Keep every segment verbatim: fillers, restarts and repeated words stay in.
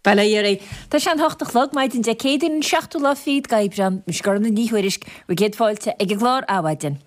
Bail ó Dhia oraibh. Tá sé an hocht a chlog, maidin Dé Céadaoin an seachtú lá fichead d'Aibreán. Mise Gormfhlaith Ní Thuairisg, bhur gcéad fáilte ag an gclár Adhmhaidin.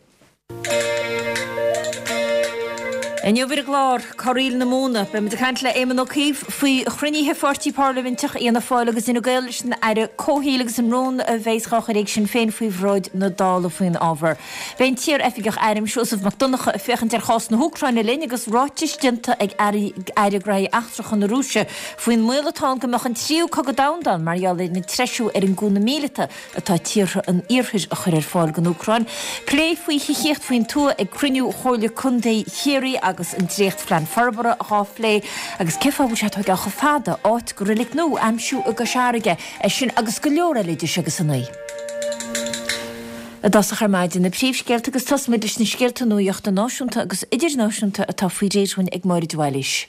Inniu ar an gclár, Corraíl na Móna, beidh muid ag caint le Éamon Ó Cuív faoi chruinnithe pháirtí parlaiminteach Fhianna Fáil agus Fhine Gael leis an Aire Comhshaoil agus an rún a bheas á chur ag Sinn Féin faoi bhráid na Dála faoin ábhar. Beidh an t-iar-oifigeach airm Seosamh Mac Donncha ag féachaint ar chás na hÚcráine linn agus ráitis déanta ag Aire Gnóthaí Eachtracha na Rúise faoin mbaol atá ann go mbeadh an tríú cogadh domhanda ann mar gheall ar an treisiú ar an gcúnamh míleata atá tíortha an Iarthair a chur ar fáil don Úcráin. Plé faoi thithíocht faoin tuath ag cruinniú Chomhairle Contae Chiarraí agus an dréachtphlean forbartha dhá phlé agus cén fáth a bhfuil sé ag tógáil chomh fada áit do reilig nua a aimsiú i gCois Fharraige, é sin agus go leor eile idir seo agus a naoi. I dtosach ar maidin, na príomhscéalta agus tosóimid leis na scéalta nuachta náisiúnta agus idirnáisiúnta atá faoi réir dhúinn ag Máire de Bhailís.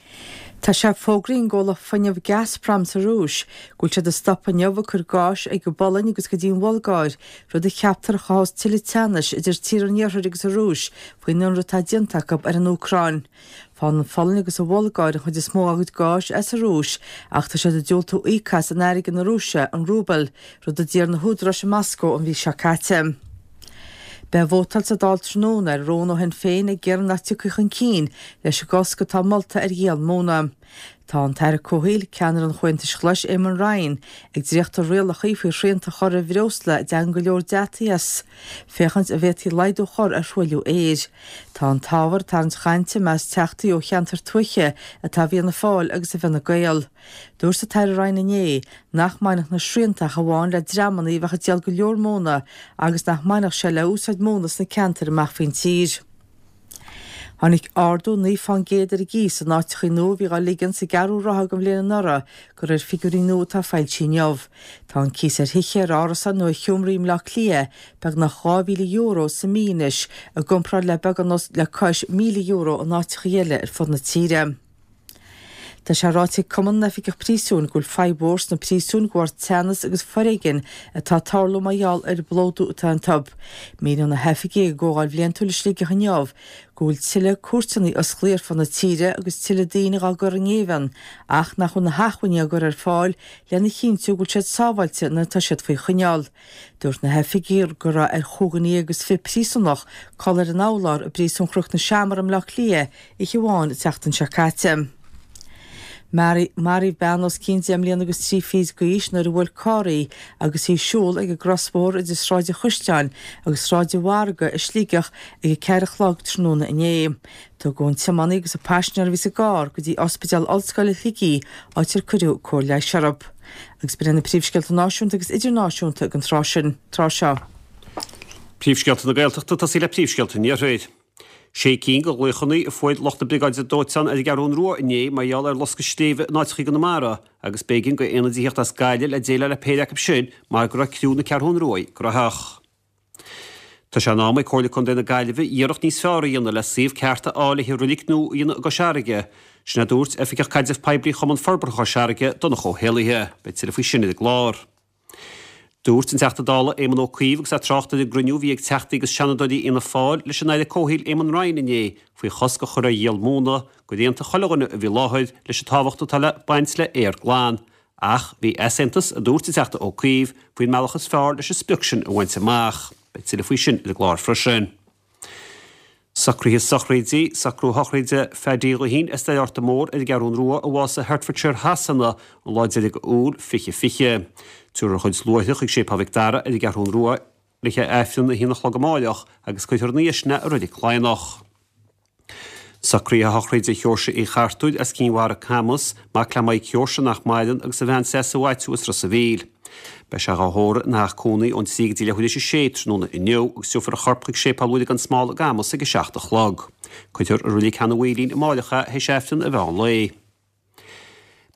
Tá sé fógraithe ag an gcomhlacht fuinnimh Gazprom sa Rúis go bhfuil siad ag stopadh inniu ag cur gáis ag an bPolainn agus go dtí an Bhulgáir, rud a cheaptar a chothós tuilleadh teannais idir tíortha an Iarthair agus an Rúis faoin ionradh atá déanta acu ar an Úcráin. Faigheann an Pholainn agus an Bhulgáir an chuid is mó dá gcuid gáis as an Rúis ach tá siad ag diúltú íoc as in airgead na Rúise, an rúbal, rud a d'iarr na húdaráis i Moscó an mhí seo caite. Beidh vótáil sa Dáil tráthnóna ar rún ó Shinn Féin ag iarraidh nach dtiocfaí chun cinn leis an gcosc atá molta ar dhíol móna. Tá an tAire Comhshaoil, ceannaire an Chomhaontais Ghlais Éamon Ryan, ag dréachtú rialacha faoi shrianta a chur ar bhreosla a dtagann go leor deataigh as, féachaint an bhféadfaí laghdú a chur ar thruailliú aeir. Tá an t-ábhar ag tarraingt chainte i measc teachtaí ó cheantair tuaithe atá i bhFianna Fáil agus i bhFine Gael. Dúirt an tAire Ryan inné nach mbainfeadh na srianta ach amháin le dreamanna a bheadh ag díol go leor móna agus nach mbainfeadh sé le úsáid móna sna ceantair amach faoin tír. Tháinig ardú naoi fán gcéad ar an gcíos in áiteachaí nua a bhí dhá ligean sa gceathrú ráithe den bhliain anuraidh, de réir figiúirí nua atá foilsithe inniu. Tá an cíos ar thithe, ar árasáin nó ar sheomraí i mBleá Cliath beagnach dhá mhíle euro sa mí anois i gcomparáid le beagán le cois míle euro in áiteachaí eile ar fud na tíre. Tá sé ráite ag Cumann na nOifigeach Príosúin go bhfuil fadhb mhór sna príosúin de bharr teannas agus foréigin atá ag tarlú mar gheall ar an bplódú atá iontu. Míníonn na hoifigigh ag gcomhdháil bhliantúil i Sligeach inniu go bhfuil tuilleadh cúirteanna osclaithe ar fud na tíre agus tuilleadh daoine dhá gcur i ngéibheann ach nach bhfuil na hacmhainní á gcur ar fáil lena chinntiú go bhfuil siad sábháilte nuair atá siad faoi choinneáil. Dúirt na hoifigigh go raibh ar chúig dhuine déag agus fiche príosúnach codladh ar an urlár i bPríosún Chnoc na Seamar i mBleá Cliath oíche amháin an tseachtain seo caite. Maraíodh bean os cionn deich mbliana agus trí fichid d'aois nuair a bhuail carr í agus í ag siúl ag an gcrosbhóthar idir Sráid an Chaisleáin agus Sráid an Mhargaidh i Sligeach ag a ceathair a chlog tráthnóna inné. Tugadh an tiománaí agus an paisinéir a bhí sa gcarr go dtí Ospidéal Ollscoile Shligigh áit ar cuireadh cóir leighis orthu. Agus b'in iad na príomhscéalta náisiúnta agus idirnáisiúnta ag an tráth sin, tráth seo. Príomhscéalta na Gaeltachta, tosaí le príomhscéalta an Iarthair. Sé cinn de ghlaochanna a fuair lucht na Briogáide Dóiteáin ar an gCeathrún Rua inné mar gheall ar loscadh sléibhe in áiteacha i gConamara agus b'éigean do aonaidí theacht as Gaillimh le déileáil le péire acu sin mar go raibh criú na Ceathrún Rua gnóthach. Tá sé in am ag Comhairle Contae na Gaillimhe iarracht níos fearr a dhéanamh le suíomh ceart a fháil le haghaidh reilig nua a dhéanamh i gCois Fharraige. Sin a dúirt Oifigeach Caidrimh Poiblí Chumann Forbartha Chois Fharraige, Donncha Ó hÉallaithe. Beidh tuilleadh faoi sin ar an gclár. Dúirt an Teachta Dála Éamon Ó Cuív agus é ag trácht ar an gcruinniú a bhí ag Teachtaí agus Seanadóirí Fhianna Fáil leis an Aire Comhshaoil Éamon Ryan inné faoi chosc a chur ar dhíol móna gur aontaigh chuile dhuine a bhí i láthair leis an tábhacht atá le baint le aer glan. Ach bhí easaontas, a dúirt an Teachta Ó Cuív, faoin mbealach is fearr leis an sprioc sin a bhaint amach. Beidh tuilleadh faoi sin ar an gclár freisin. Socruithe sochraide, Socrú sochraide Phaddy Ghuithín as Doire Fhorta Mór ar an gCeathrún Rua a bhásaigh i Hertfordshire Shasana an lá deiridh Iúil fiche fiche. Tabharfar a chuid luaithreach chuig Séipéal Mhic Dara ar an gCeathrún Rua le haghaidh Aifreann a haon a chlog amáireach agus cuirfear ina dhiaidh sin é i Reilig Cladhnach. Socruithe sochraide Sheoirse Uí Chartúir as Cinn Mhara Camus, mac le Maidhc Sheoirse nach maireann agus a bhean Treasa Mhaitiú as Ros a' Mhíl. Beidh sé dhá thórramh ina theach cónaí ón trí go dtí leathuair théis a sé tráthnóna inniu agus tabharfar a chorp chuig Séipéal Mhuire gan Smál i gCamus ag a seacht a chlog. Cuirfear i Reilig Sheanadh Mhaoilín amáireach é théis Aifreann an mheán lae.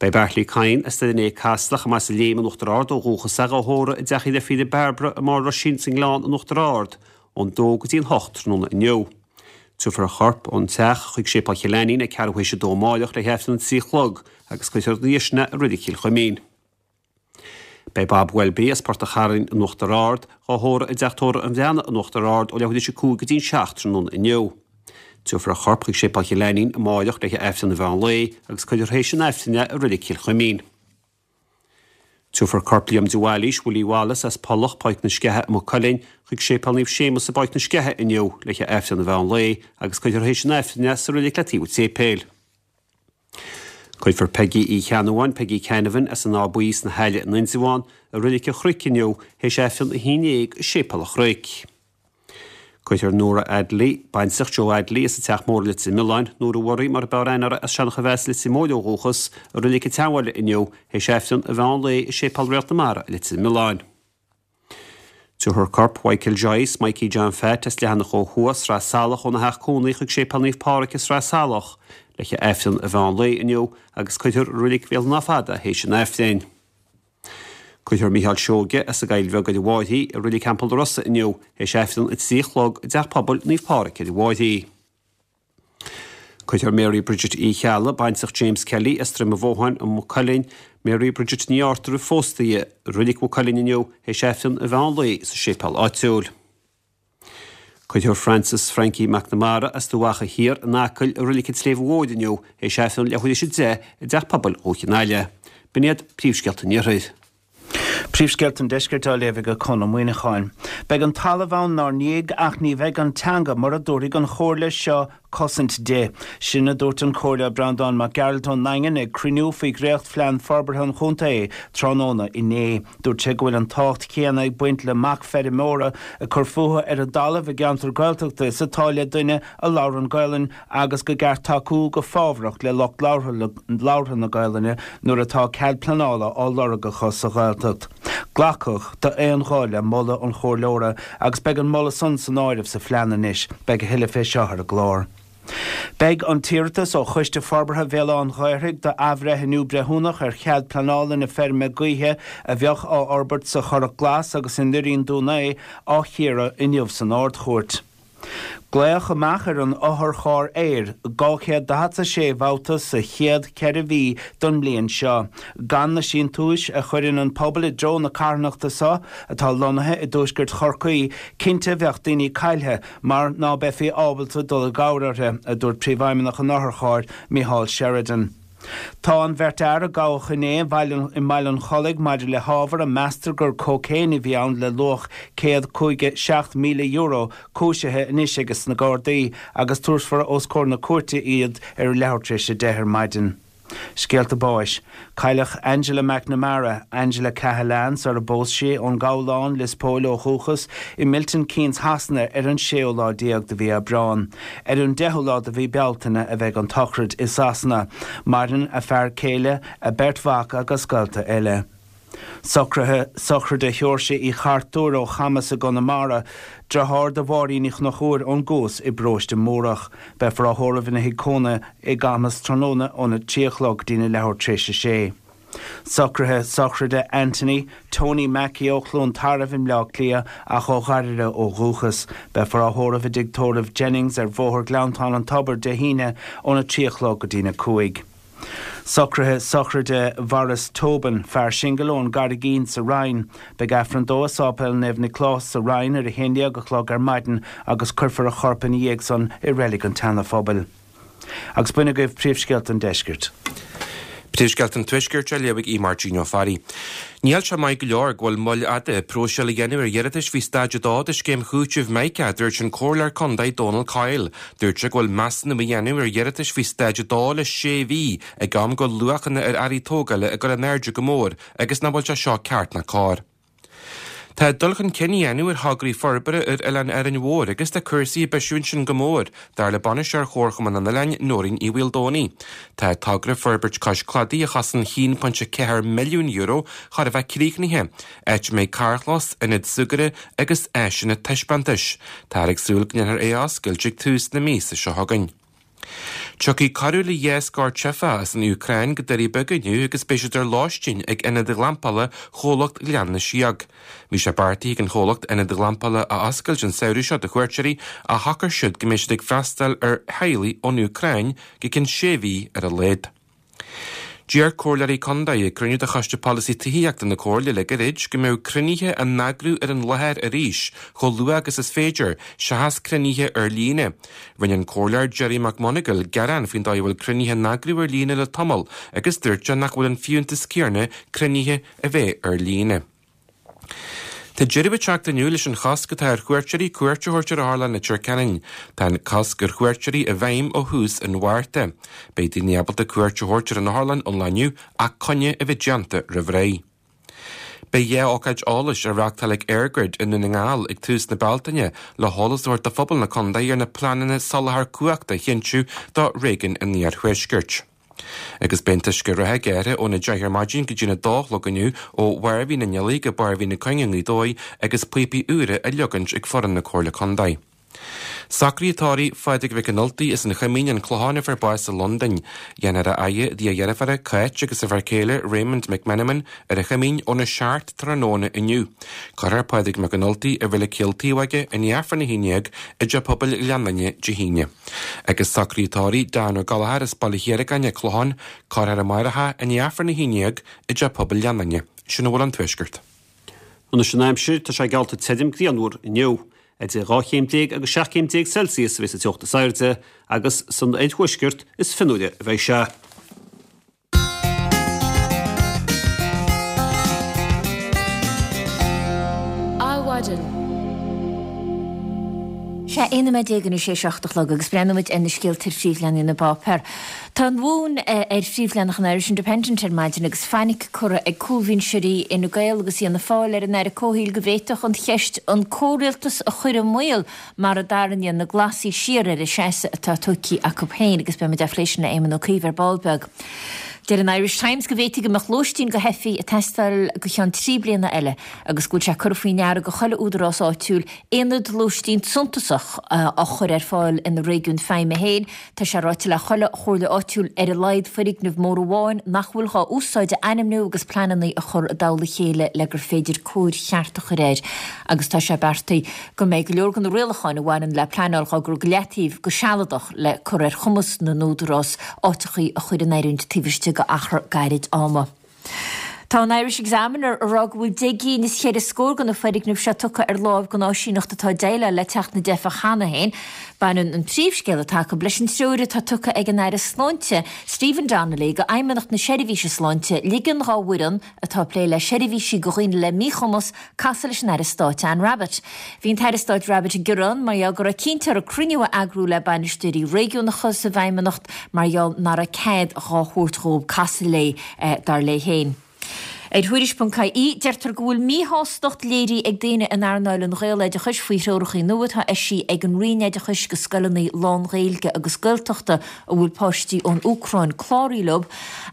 Beidh Beairtlí Kyne as Doire an Fhéich Caslach chomh maith as an Léim in Uachtar Ard ó dhúchas é dhá thórramh i dteach a dheirfíre Bairbre i mBarr Roisín sa nGleann in Uachtar Ard ón dó go dtí an hocht tráthnóna inniu. Tabharfar a chorp ón teach chuig Séipéal Chill Ainnín ag ceathrú théis a dó amáireach le hAifreann a trí a chlog agus cuirfear ina dhiaidh sin é i Reilig Chill Chuimín. Beidh Bob Welby as Port a' Chairn in Uachtar Ard dhá thórramh i dteach tórraimh an Bhreathnaigh in Uachtar Ard ó leathuair théis a cúig go dtí an seacht tráthnóna inniu. Tabharfar a chorp chuig Séipéal Chill Ainnín amáireach le hAifreann an mheán lae agus cuirfear théis an Aifrinn é i Reilig Chill Chuimín. Tabharfar corp Liam de Bhailís, Willie Wallace as Pollach, Páirc na Sceiche i Maigh Cuilinn, chuig Séipéal Naomh Séamus i bPáirc na Sceiche inniu le haghaidh Aifreann an mheán lae agus cuirfear théis an Aifrinn é sa reilig le taobh an tséipéil. Cuirfear Peigí Uí Cheannabháin, Peggy Canavan, as an Áth Buí sna hAille in Indreabhán, i Reilig an Chnoic inniu théis Aifreann a haon déag i Séipéal an Chnoic. Cuirfear Nóra Adley, baintreach Joe Adley as an Teach Mór i Leitir Mealláin, Nóra Murray mar a b'fhearr aithne uirthi as Seancha Mheas Leitir Móir ó dhúchas, i Reilig an tSeanbhaile inniu théis Aifreann an mheán lae i Séipéal Réalt na Mara i Leitir Mealláin. Tabharfar corp Mhichael Joyce, Mikey John Phat as Leathanach ó Thuaidh, Sraith Salach óna theach cónaí chuig Séipéal Naomh Pádraig i Sraith Salach le haghaidh Aifreann an mheán lae inniu agus cuirfear i Reilig Bhéal an Átha Fada théis an Aifrinn. Cuirfear Mícheál Seoige as an gCoill Bheag ar an bhFairche i Reilig Theampall na Rosa inniu théis Aifreann a trí a chlog i dTeach Pobail Naomh Pádraig ar an bhFairche. Cuirfear Mary Bridget Uí Cheallaigh, baintreach James Kelly as Droim an Bhótháin i Maigh Cuilinn, Mary Bridget Ní Arthur roimh phósta í, i Reilig Mhaigh Cuilinn inniu théis Aifreann an mheán lae sa séipéal áitiúil. Cuirfear Francis Frankie McNamara as Dumha Acha Thiar in Acaill i Reilig an tSléibhe Mhóir inniu théis Aifreann leathuair théis a deich i dTeach Pobail Dhúiche an Aille. B'in iad príomhscéalta an Iarthair. Príomhscéalta an Deiscirt á léamh ag Conn Ó Muíneacháin. Beidh an talamh ann 'nár ndiaidh ach ní bheidh an teanga mura dtabharfaidh an Chomhairle seo cosaint di. Sin a dúirt an Comhairleoir Breandán Mac Gearailt ón nDaingean ag cruinniú faoi dhréachtphlean forbartha an chontae tráthnóna inné. Dúirt sé go bhfuil an tábhacht chéanna ag baint le mac feirmeora ag cur fúthu ar an dtalamh i gceantar Gaeltachta is atá le duine a labhrann Gaelainn agus gur ceart tacú go fábharach le lucht labhartha na Gaelainne nuair atá cead pleanála á lorg acu sa Ghaeltacht. Glacadh d'aon ghuth le moladh an chomhairleora agus beidh an moladh san san áireamh sa phlean anois. Beidh a thuilleadh fé seo ar an gclár. Beidh an t-iarratas ó Choiste Forbartha Bhéal Átha an Ghaorthaidh d'athbhreithniú breithiúnach ar chead pleanála na feirme gaoithe a bheadh á fhorbairt sa Churrach Glas agus i nDoirín Dún Aodha á chíoradh inniu san Ard-Chúirt. Glaodh amach ar an otharcharr aeir dhá chéad daichead a sé babhta sa chéad cheithre mhí don mbliain seo. Gan na síntiúis a chuireann an pobal i dtreo na carthanachta seo, atá lonnaithe i dtuaisceart Chorcaí, cinnte bheadh daoine caillthe mar ná beifí ábalta dul i gcabhair orthu, a dúirt Príomhfheidhmeannach an otharchairr, Micheál Sheridan. Tá an bheirt fhear a gabhadh inné i mBaile an Chollaigh maidir le hábhar a meastar gur cócaon a bhí ann le luach céad caoga seacht míle euro cúisithe anois ages na Gardaí agus tabharfar os comhair na cúirte iad ar leathuair tar éis a deich ar maidin. Scéalta báis. Cailleadh Angela McNamara, Angela Cahalane sar a bpós sí, ón nGabhlán, Lios Póil ó dhúchas, i Milton Keynes Shasana ar an séú lá déag de mhí Aibreán. Ar an deichiú lá de mhí Bealtaine a bheidh an tsochraid i Sasana. Maireann a fear céile, a beirt mhac agus gaolta eile. Socruithe sochraide Sheoirse Uí Chartúir ó Chamas i gConamara, deartháir do Mháirín Uí Chonchúir ón gCuas i bparóiste Múrach. Beifear á thórramh ina thigh cónaithe i gCamas tráthnóna óna trí a chlog go dtína leathuair tar éis a sé. Socruithe sochraide Anthony, Tony Mackey ó Chluain Tarbh i mBleá Cliath ach ó Ghairire ó dhúchas. Beifear á thórramh i dtigh tórraimh Jennings ar Bhóthar Gleanntán an Tobair Dé hAoine óna trí a chlog go dtína cúig. Socruithe sochraide Mhaurice Tobin, fear singil ón gCarraigín sa Rinn. Beidh Aifreann dó i Sáipéal Naomh Nioclás sa Rinn ar a haon déag a chlog ar maidin agus cuirfear a chorp ina dhiaidh san i Reilig an tSeana-Phobail. Agus b'in agaibh príomhscéalta an deiscirt. Príomhscéalta an Tuaiscirt á léamh ag Aodh Máirtín Ó Fearraigh. Níl sé maith go leor go bhfuil moill fhada próiseáil a dhéanamh ar iarratais faoi Staid a dó de scéim chúitimh Mica, a dúirt an Comhairleoir Contae Dónal Coyle. Dúirt sé go bhfuil measúnú a dhéanamh ar iarratais faoi Staid a dó le sé mhí, ag am go bhfuil luachanna ar earraí tógála ag dul in airde go mór agus nach bhfuil sé seo ceart ná cóir. Tá dul chun cinn á dhéanamh ar thograí forbartha ar Oileán Árainn Mhór agus tá cúrsaí ag bisiú ansin go mór, dar le Bainisteoir Chomharchumann an Oileáin, Nóirín Uí Mhaoldomhnaigh. Tá togra Forbairt Cois Cladaigh a chosain a haon pointe ceathair milliún euro chóir a bheith críochnaithe, áit a mbeidh carrchlós, ionad súgartha agus áiseanna taispeántais. Táthar ag súil go ndéanfar é a oscailt ag tús na míosa seo chugainn. Tiocfaidh corradh le dhá scór teifeach as an Úcráin go Doirí Beaga inniu agus beidh siad ar lóistín ag ionad glampála chomhlacht Ghleann na Síóg. Bhí sé beartaithe ag an chomhlacht ionad glampála a oscailt an samhradh seo do chuairteoirí ach shocair siad go mbeidh siad ag freastal ar theaghlaigh ón Úcráin go ceann sé mhí ar a laghad. D'iarr comhairleoirí contae ag cruinniú de Choiste Polasaí Tithíochta na Comhairle le gairid go mbeadh cruinnithe á n-eagrú ar an láthair arís chomh luath agus is féidir, seachas cruinnithe ar líne. Rinne an Comhairleoir Gerry McMonagall gearán faoin dóigh a bhfuil cruinnithe á n-eagrú ar líne le tamall agus dúirt sé nach bhfuil an fiúntas céanna cruinnithe a bheith ar líne. Tá deireadh ag teacht inniu leis an chosc atá ar chuairteoirí cuairt a thabhairt ar Otharlann Leitir Ceanainn. Tá an cosc ar chuairteoirí i bhfeidhm ó thús an Mhárta. Beidh daoine ábalta cuairt a thabhairt ar an otharlann ón lá inniu ach coinne a bheith déanta roimh ré. Beidh dhá ócáid eolais á reáchtáil ag EirGrid i nDún na nGall ag tús na Bealtaine le heolas a thabhairt do phobal na contae ar na pleananna soláthar cumhachta a chinntiú do réigiún an Iarthuaiscirt. Agus beidh an t-uisce reatha gearrtha óna deich ar maidin go dtína dó a chlog inniu ó Bharr Mhín an Fhilaigh go Barr Mhín na Cuinge i nGaoth Dobhair agus píopaí úra á leagaint ag foireann na Comhairle Contae. Socruithe tórraimh Phádraig Mhic an Ultaigh as an Choimín, An Clochán a fuair bás i Londain. Déanfar a fhaire i dtigh a dheirféara, Cáit agus a fear céile Raymond McMenamin ar an Choimín óna seacht tráthnóna inniu. Cuirfear Pádraig Mac an Ultaigh i Reilig Chill Taobhóige i ndiaidh Aifreann a haon déag i dTeach Pobail Ghleann Fhinne Dé hAoine. Agus socruithe tórraimh Dan Ó Gallchóir as Baile Chiaragáin, An Clochán, cuirfear amárach é i ndiaidh Aifreann a haon déag i dTeach Pobail Ghleann Fhinne. Sin a bhfuil ón Tuaisceart. Anois an aimsir, tá sé geallta tirim grianmhar inniu. Idir dhá chéim déag agus seacht gcéim déag Celsius a bheidh sa teocht is airde agus san oirthuaisceart is fionnuaire a bheidh sé. Adhmhaidin. Sé aon nóiméad déag anois é seacht a chlog agus breathnóimid ar na scéalta ar phríomhleathanaigh na bpáipéar. Tá an Mhumhain ar phríomhleathanach an Irish Independent ar maidin agus fainic curtha ag cúlbhinseoirí Fhine Gael agus Fhianna Fáil ar an Aire Comhshaoil go bhféadfadh an cheist an comhrialtas a chur i mbaol mara dtarraingíonn na Glasaigh siar ar an seasamh atá tógtha acu féin agus beimid á phlé sin le Éamon Ó Cuív ar ball beag. Deir an Irish Times go bhféadfaidh go mbeadh lóistín do theifigh ag teastáil go cheann trí bliana eile agus go bhfuil sé curtha faoi ndeara go chuile údarás áitiúil aonad lóistín suntasach á chur ar fáil ina réigiún feidhme féin. Tá sé ráite le chuile chomhairle áitiúil ar a laghad foirgneamh mór amháin nach bhfuil dhá úsáid a ainmniú agus pleananna a chur i dtoll a chéile le gur féidir cóir cheart a chur air agus tá sé beartaithe go mbeidh go leor de na rialacháin a bhaineann le pleanáil á gcur go leataobh go sealadach le cur ar chumas na n-údarás áiteachaí a chur in oiriúint taobh istigh de achar gairid ama. Tá an Irish Examiner ag rá go bhfuil deich gcinn is cheithre scór de na foirgnimh seo tugtha ar láimh don áisíneacht atá ag déileáil le teacht na dteifeach cheana féin. Baineann an príomhscéal atá acu leis an treoir atá tugtha ag an Aire Sláinte, Stephen Donnelly, go Fheidhmeannacht na Seirbhíse Sláinte ligean dhá bhfoireann atá ag plé le seirbhísí do dhaoine le míchumas casadh leis an Aire Stáit Anne Rabbitte. Bhí an tAire Stáit Rabbitte ag gearán mar gheall go raibh cinnte orthu cruinniú a eagrú le bainisteoirí réigiúnacha sa bhFeidhmeannacht mar gheall nach raibh cead dhá thabhairt dhóibh casadh léi, dar léi féin. Ar Thuairisc ponc ie, deirtear go bhfuil míshástacht léirithe ag daoine in earnáil an Ghaeloideachais faoi threoracha nua atá eisithe ag an Roinn Oideachais go scoileanna lán-Ghaeilge agus Gaeltachta a bhfuil páistí ón Úcráin cláraithe leo.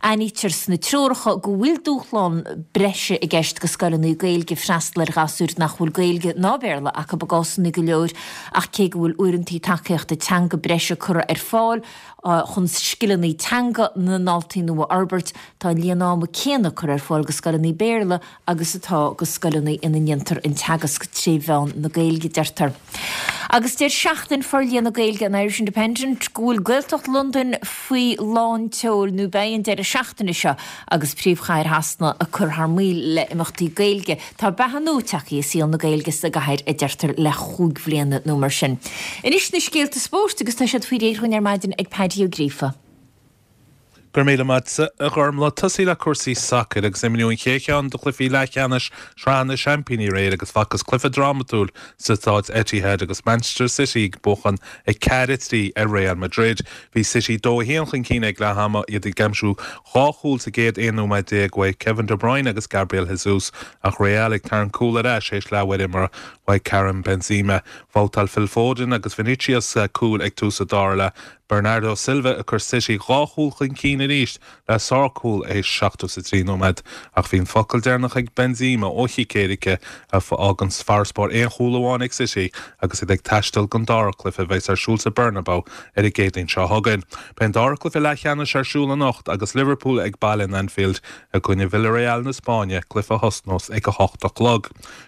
Aithnítear sna treoracha go bhfuil dúshlán breise i gceist go scoileanna Gaeilge freastal ar ghasúir nach bhfuil Gaeilge ná Béarla acu i gcásanna go leor ach cé go bhfuil uaireanta tacaíochta teanga breise curtha ar fáil chun scileanna teanga na ndaltaí nua a fhorbairt, tá an líon ama céanna curtha ar fáil go scoileanna Béarla agus atá go scoileanna ina ndéantar an teagasc tré mheán na Gaeilge, deirtear. Agus deir Seachtain Forlíonadh Gaeilge an Irish Independent go bhfuil Gaeltacht Londain faoi lán tseoil nó beidh an deireadh seachtaine seo agus príomhchathair Shasana ag cur thar maoil le imeachtaí Gaeilge. Tá beatha nua tagtha i saol na Gaeilge sa gcathair a deirtear le chúig bhliana nó mar sin. Anois na scéalta spóirt agus tá siad faoi réir dhúinn ar maidin ag Paddy Ó Gríofa. Go raibh míle maith agat, a Ghormfhlaith. Tosaí le cúrsaí sacair agus imríodh an chéad cheann de chluichí leathcheannais Shraith na Seaimpíní aréir agus facthas cluiche drámatúil sa staid Etihad agus Manchester City ag buachan a ceathair a trí ar Real Madrid. Bhí City dó a haon chun cinn ag leath ama, iad ag aimsiú dhá chúl sa gcéad aon nóiméad déag uaidh Kevin De Bruyne agus Gabriel Jesus ach Real ag tarraingt cúl ar ais théis leathuair imeartha uaidh Karim Benzema. Bhabhtáil Phil Foden agus Vinicius cúil ag tús an dara leath. Bernardo Silva ag cur City dhá chúl chun cinn arís le sárchúl théis seachtó is a trí nóiméad ach bhí an focal deireanach ag Benzema ó chic éirice a fhágann farasbarr aon chúl amháin ag City agus iad ag taisteal don dara cluiche a bheas ar siúl sa Bernabeu ar an gCéadaoin seo chugainn. Beidh an dara cluiche leathcheannais ar siúl anocht agus Liverpool ag baile in Anfield i gcoinne Villarreal na Spáinne, cluiche a thosnós ag a hocht a chlog.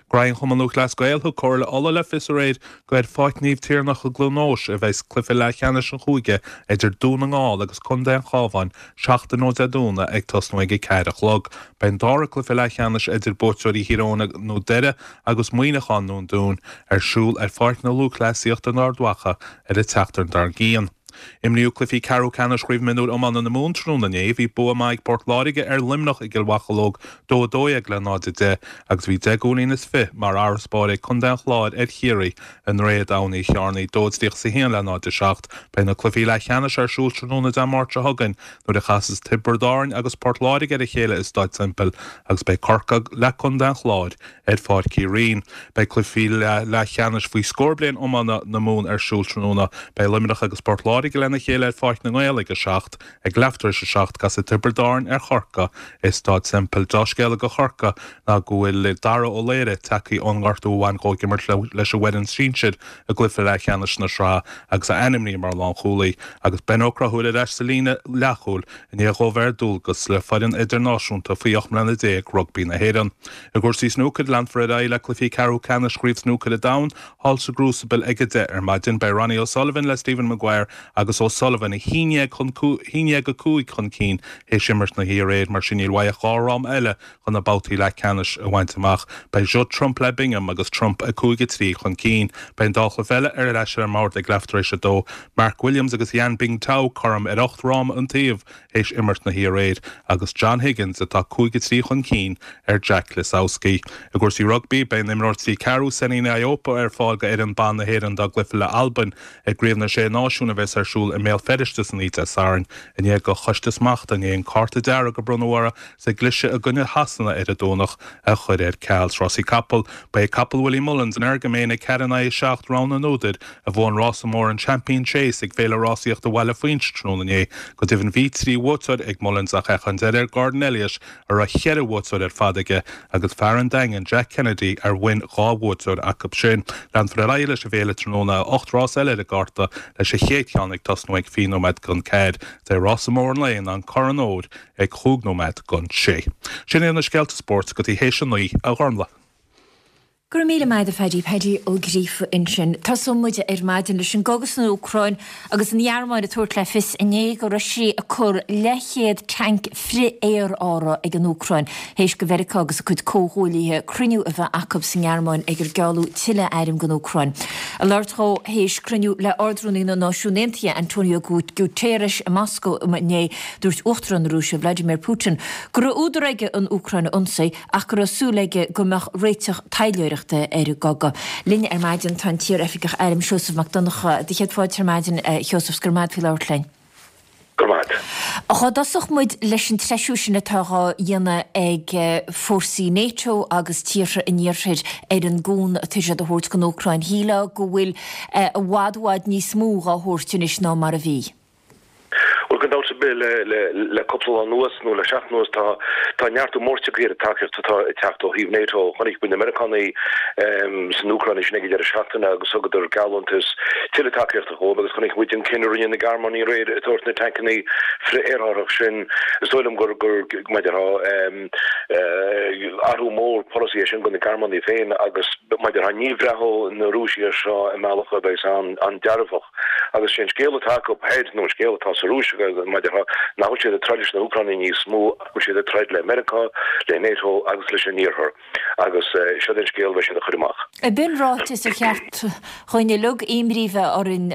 Graí an Chumann Lúthchleas Gael thug Comhairle Uladh le fios aréir gur ar Pháirc Naomh Tiarnach i gCluain Eois a bheas cluiche leathcheannais an chúige idir Dún na nGall agus Contae an Chabháin seachtain ó Dé Domhnaigh ag tosnú ag a ceathair a chlog. Beidh an dara cluiche leathcheannais idir buaiteoirí Thír Eoghain nó Doire agus Muineachán nó an Dún ar siúl ar Pháirc na Lúthchleasaíochta in Ard Mhacha ar an tseachtain dár gcionn. Imríodh cluichí ceathrú ceannais Chraobh Mionúr Iomána na Mumhan tráthnóna inné. Bhí bua maith ag Port Láirge ar Luimneach i gCill Mhocheallóg, dó a dó dhéag le náid a deich, agus bhí deich gcúilín is fiche mar fharasbarr ag Contae an Chláir ar Chiarraí i nDroichead Abhann Uí Chearnaigh, dó a tríocha is a haon le náid a seacht. Beidh na cluichí leathcheannais ar siúl tráthnóna Dé Máirt seo chugainn nuair a chasas Tiobraid Árann agus Port Láirge ar a chéile i Staid Semple agus beidh Corcaigh le Contae an Chláir ar Pháirc Uí Rinn. Beidh cluichí leathcheannais faoi scór bliain iomána na Mumhan ar siúl tráthnóna. Beidh Luimneach agus Port Láirge lena chéile ar Pháirc na nGael ag a seacht. Ag leath tar éis a seacht casfaidh Tiobraid Árann ar Chorcaigh i Staid Semple. Dea-scéala do Chorcaigh ná go bhfuil Dara Ó Laoire tagtha ón ngortú a bhain dhó ag imirt leis an bhfoireann sinsir i gcluiche leathcheannais na sraithe agus é ainmnithe mar lánchúlaí agus Ben Ó Conchúir ar ais sa líne leathchúil i ndiaidh dhó bheith ar dualgas le foireann idirnáisiúnta faoi ocht mbliana déag rugbaí na hÉireann. I gcúrsaí snúcair, leanfar ar aghaidh le cluichí ceathrú ceannais Chraobh Snúcair an Domhain thall sa gCrucible ag a deich ar maidin. Beidh Ronnie O'Sullivan le Stephen Maguire agus O'Sullivan a haon déag chun haon déag a cúig chun cinn théis imirt na hoíche aréir, mar sin níl uaidh ach dhá fhráma eile chun na babhtaí leathcheannais a bhaint amach. Beidh Judd Trump le Bingham agus Trump a cúig a trí chun cinn. Beidh an dá chluiche eile ar ais ar an mbord ag leath tar éis a dó. Mark Williams agus Yan Bingtao cothrom ar ocht fhráma an taobh théis imirt na hoíche aréir agus John Higgins atá cúig a trí chun cinn ar Jack Lisowski. I gcúrsaí rugbaí, beidh an imreoir trí ceathrú Sene Naoupu ar fáil go fhoireann ban na hÉireann dá gcluiche le Albain i gCraobh na Sé Náisiún a bheas ar siúl i mBéal Feirste san oíche Dé Sathairn i ndiaidh do Choiste Smachta inné an cárta dearg a bronnadh uirthi sa gcliseadh i gcoinne Shasana ar an Domhnach a chur ar ceal. Sna rásaí capall, ba é capall Willie Mullins, Energumene, ag ceathair in aghaidh a seacht, rogha na n-údar, a bhuaigh an rása mór an Champion Chase ag Féile Rásaíochta Bhaile Phuins tráthnóna inné. Go deimhin bhí trí bhuaiteoir ag Mullins ach fhéach an deireadh ar Gordon Elliott a raibh ceithre bhuaiteoir ar fad aige agus fear an Daingin, Jack Kennedy, ar bhain dhá bhuaiteoir acu sin. Leanfar ar aghaidh leis an bhféile tráthnóna, ocht rás eile ar an gcárta leis an chéad cheann ag tosnú ag fiche nóiméad don ceathair. Is é rása mór an lae ná an Corn Óir ag chúig nóiméad don sé. Sin iad na scéalta spóirt go dtí théis a naoi, a Ghormlaith. Go raibh míle maith agat a Phaddy, Paddy Ó Gríofa ansin. Tosóidh muid ar maidin leis an gcogadh san Úcráin agus an Ghearmáin ag tabhairt le fios inné go raibh sí ag cur leathchéad tanc frith-aerártha ag an Úcráin théis do Mheiriceá agus a cuid comhghuaillithe cruinniú a bheith acu sa nGearmáin ag ar gealladh tuilleadh airm don Úcráin. Ag labhairt dhó théis cruinniú le Ard-Rúnaí na Náisiún Aontaithe Antonio Guterres i Moscó inné, dúirt Uachtarán na Rúise Vladimir Putin go raibh údar aige an Úcráin a ionsaí ach go raibh súil aige go mbeadh réiteach taidhleoireachta ar an gcogadh. Linn ar maidin tá an t-iar-oifigeach airm Seosamh Mac Donncha. Do chéad fáilte ar maidin, a Sheosaimh, 's go raibh maith agat faoi labhairt linn. Go raibh maith. Dhá dtosódh muid leis an treisiú sin atá dhá dhéanamh ag fórsaí NATO agus tíortha an Iarthair ar an gcúnamh atá siad a thabhairt don Úcráin, shílfeá go bhfuil i bhfad i bhfad níos mó dhá thabhairt anois ná mar a bhí. Bhuel, gan dabht ar bith, le cúpla lá anuas, nó le seachtain anuas, tá tá neartú mór tagtha ar an tacaíocht atá ag teacht ó thaobh NATO. Chonaic muid na Meiriceánaigh san Úcráin ansin ag an deireadh seachtaine agus thugadar geallúntas tuilleadh tacaíochta dhóibh agus chonaic muid an cinneadh a rinne na Gearmánaigh aréir ag tabhairt na tancanna frith-aerárthach sin. Is dóigh liom gur, gur, mar a déarfá, athrú mór polasaí é sin do na Gearmánaigh féin agus, mar a déarfá, ní bhreathóidh na Rúisigh air seo i mbealach a bheas an-dearfach. Agus sé an scéal atá acu thoir, nó an scéal atá sa Rúis, mar a déarfá, nach bhfuil siad ag troid leis na hÚcránaigh níos mó ach go bhfuil siad ag troid le Meiriceá, le NATO agus leis an Iarthar. Agus seo é an scéal a bheidh siad a chur amach. Ab in ráiteas ar cheart dhuinn uilig imní a bheith orainn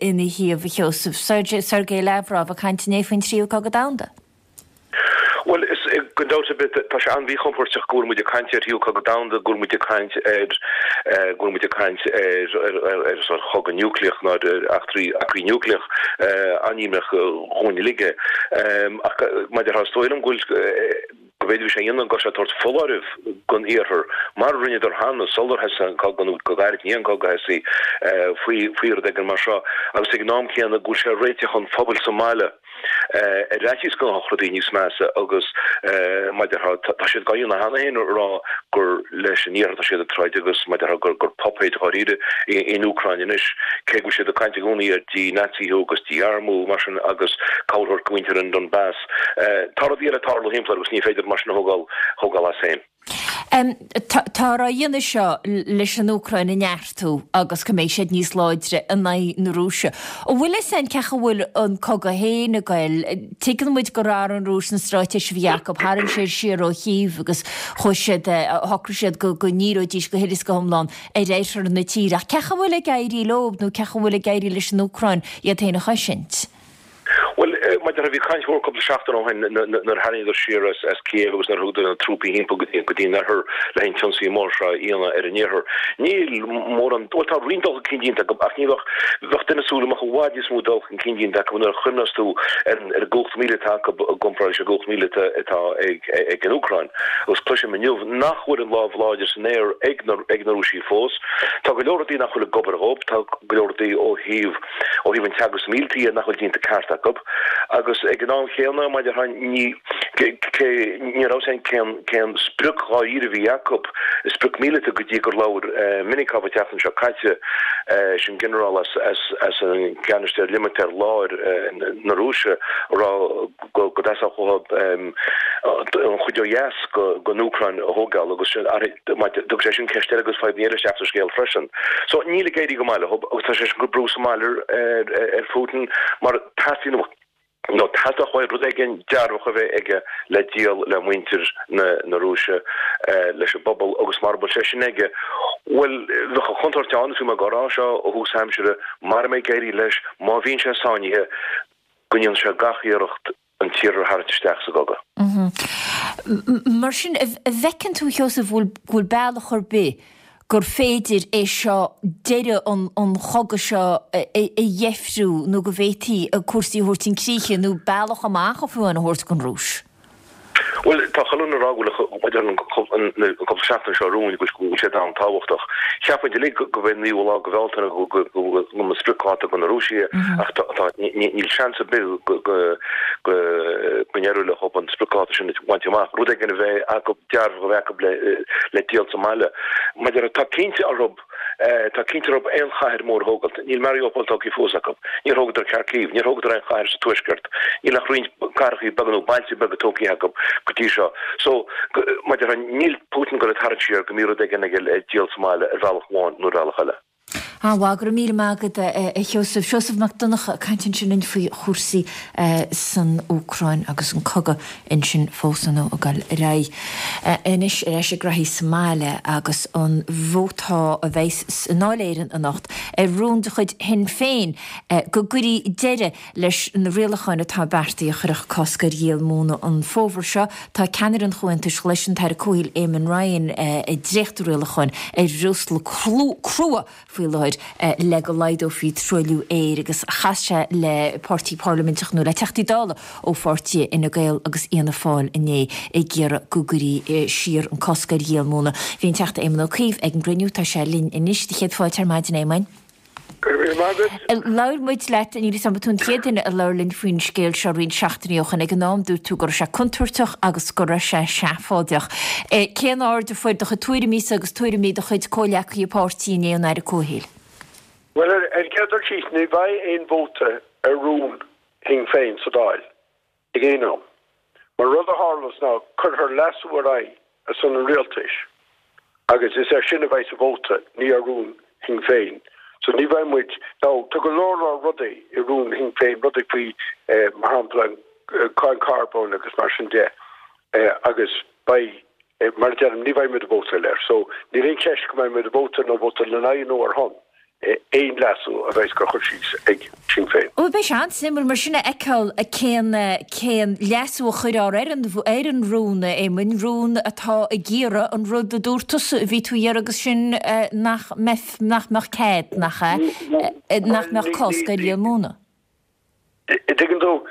ina thaobh, a Sheosaimh? Sergei Lavrov ag caint inné faoin tríú cogadh domhanda. Bhuel, is, gan dabht ar bith, tá sé an-mhíchompóirteach go bhfuil muid ag caint ar thríú cogadh domhanda, go bhfuil muid ag caint ar, go bhfuil muid ag caint ar, ar, ar, ar sórt chogadh núicléach nó ar eachtraí, eachtraí núicléach an-imníoch dhúinn uilig é. Ach mar a déarfá, is dóigh liom go bhfuil, go bhféadfadh sé a dhéanamh go raibh sé ag tabhairt foláireamh don Iarthar, mar a rinneadar cheana sular thosaigh an cogadh nó go gairid i ndiaidh an cogadh a thosaí, faoi, faoi rud éigin mar seo agus ag an am céanna go bhfuil sé ag réiteach an phobail sa mbaile. Ar fhaitíos go ngabhfadh rudaí níos measa agus mar a déarfá, tá siad dhá dhéanamh cheana féin a rá gur leis an Iarthar atá siad ag troid agus mar a déarfá gur gur puipéid dháiríre í an Úcráin anois, cé go bhfuil siad ag caint i gcónaí ar dí-Naitsíú agus dí-armú mar sin agus cabhair a thabhairt do mhuintir an Donbass. Tá rudaí eile ag tarlú thimpeall air agus ní féidir mar sin a thógáil as féin. Táthar á dhéanamh seo leis an Úcráin a neartú agus go mbeidh siad níos láidre in aghaidh na Rúise. An bhfuil fhios againn cén chaoi a bhfuil an cogadh féin ag goil? Tuigeann muid gur athraigh an Rúis an straitéis a bhí acu, tharraing siad siar ó Chív agus chuaigh siad, shocraigh siad go ndíreoidís go huile is go hiomlán ar oirthear na tíre. Ach cén chaoi a bhfuil ag éirí leo nó cén chaoi a bhfuil ag éirí leis an Úcráin iad féin a chosaint? Bhuel, mar a déarfá, bhí caint mhór cúpla seachtain ó shin nuair a tharraingíodar siar as Kiev agus nuair a thugadar na trúpaí thimpeall go dtí an oirthear le an t-ionsaí mór seo a dhéanamh ar an iarthar. Níl mórán, bhuel tá roinnt dul chun cinn déanta acu ach ní bheadh, bheadh duine ag súil go mbeadh i bhfad níos mó dul chun cinn déanta acu nuair a chuimhneos tú ar an gcumhacht mhíleata acu i gcomparáid leis an gcumhacht mhíleata atá ag an Úcráin. Agus cloisim inniu nach bhfuil an lámh láidir san aer ag na Rúisigh fós. Tá go leor rudaí nach bhfuil ag obair dhóibh, tá go leor rudaí ó thaobh, ó thaobh an teagasc míleata dhe nach bhfuil déanta ceart acu agus ag an am chéanna, mar a déarfá, ní cé ní raibh fhios againn cén cén sprioc dháiríre a bhí acu, sprioc míleata go dtí gur labhair Minikov an tseachtain seo caite, sin ginearál as as as an gceannaiste ar limistéar láir na Rúise, a rá go dteastódh uathu an chuid ó dheas den Úcráin a thógáil agus thug sé sin ceist eile agus fadhb eile isteach sa scéal freisin. So níl ag éirí go maith leo agus tá sé sin ag cur brú sa mbaile ar Putin mar teastaíonn nó theastódh uaidh rud éigin dearfach a bheith aige le díol le muintir na Rúise, leis an bpobal agus mara bhfuil sé sin aige, bhuel, bheadh an chontúirt ann, is bhí mé ag rá seo ó thús aimsire, mara mbeidh ag éirí leis, má bhíonn sé sáinnithe, go ndéanfaidh sé gach iarracht an tIarthar a tharraingt isteach sa gcogadh. Mar sin, an bhfeiceann tú, a Sheosaimh, go bhfuil bealach ar bith gur féidir é seo, deireadh an chogaidh seo a dheifriú nó go bhféadfaí cúrsaí a thabhairt chun críche nó bealach amach fiú amháin a thabhairt don Rúis? Bhuel, tá chuile dhuine ag rá go bhfuil an cúpla seachtain seo romhainn go bhfuil siad an-tábhachtach. Cheap muid uilig go mb'é an naoú lá de Bhealtaine go mba spriocdháta do na Rúisigh é ach níl seans ar bith go n-éireoidh leo an spriocdháta sin a bhaint amach, rud éigin a bheith acu, dearfach a bheith acu le díol sa mbaile. Mar a déarfá, tá cinnte orthu. Tá cinnte orthu aon chathair mhór a thógáilt. Níl Mariupol tógtha fós acu. Níor thógadar Kharkiv. Níor thógadar aon chathair sa tuaisceart. Níl ach roinnt cathracha beaga nó bailte beaga tógtha acu go dtí seo. So, mar a déarfá, níl Putin ag goil ag tarraingt siar go mbí rud éigin aige le díol sa mbaile ar bhealach amháin nó ar bhealach eile. An-mhaith, go raibh míle maith agat a Sheosaimh. Seosamh Mac Donncha ag caint ansin linn faoi chúrsaí san Úcráin agus an cogadh ansin fós ar ndóigh ag dul ar aghaidh. Anois ar ais ag graithí sa mbaile agus an vóta a bheas i nDáil Éireann anocht ar rún de chuid Shinn Féin go gcuirfí deireadh leis na rialacháin atá beartaithe a chuirfeadh cosc ar dhíol móna an fómhar seo. Tá ceannaire an Chomhaontais Ghlais, an tAire Comhshaoil Eamon Ryan ag dréachtú rialacháin ar bhreosla crua faoi láthair le go laghdófaí truailliú aeir agus chas sé le páirtí parlaiminteach nó le Teachtaí Dála ó pháirtithe Fhine Gael agus Fhianna Fáil inné ag iarraidh go gcuirfí siar an cosc ar dhíol móna. Bhí an Teachta Éamon Ó Cuív ag an gcruinniú. Tá sé linn anois. Céad fáilte ar maidin, a Éamoin. Go raibh míle maith agat. Labhair muid leat, níl 'fhios a'm, ba tú an chéad duine a labhair linn faoin scéal seo roinnt seachtainí ó shin. Ag an am dúirt tú go raibh sé contúirteach agus go raibh sé seafóideach. Cén aird a fuair do chuid tuairimísa agus tuairimí do chuid comhghleacaithe páirtí inné ón Aire Comhshaoil? Bhuel, ar an gcéad dul síos, ní bheidh aon vóta ar rún Shinn Féin sa Dáil. ag aon am. Mar rud a tharlós ná cuirfear leasú ar aghaidh ar son an rialtais agus is air sin a bheidh sa vóta, ní ar rún Shinn Féin. So ní bheidh muid, now tá go leor leor rudaí i rún Shinn Féin, rudaí faoi mar shampla an cáin carbóin agus mar sin de agus beidh, mar a deirim, ní bheidh muid ag vótáil air. So níl aon cheist go mbeidh muid ag vótáil nó vótáil ina aghaidh nó ar shon. aon leasú a bheas á chur síos ag Sinn Féin. Bhuel, beidh sé an-suimiúil mar sin a fheiceáil cén cén leasú a chuirfear ar an ar an rún, a Éamoin, rún atá ag iarraidh an rud a dúirt tusa a bhí tú a iarraidh agus sin nach mbeidh nach mbeadh cead, nach ea, nach mbeadh cosc ar dhíol móna. Tuigeann tú,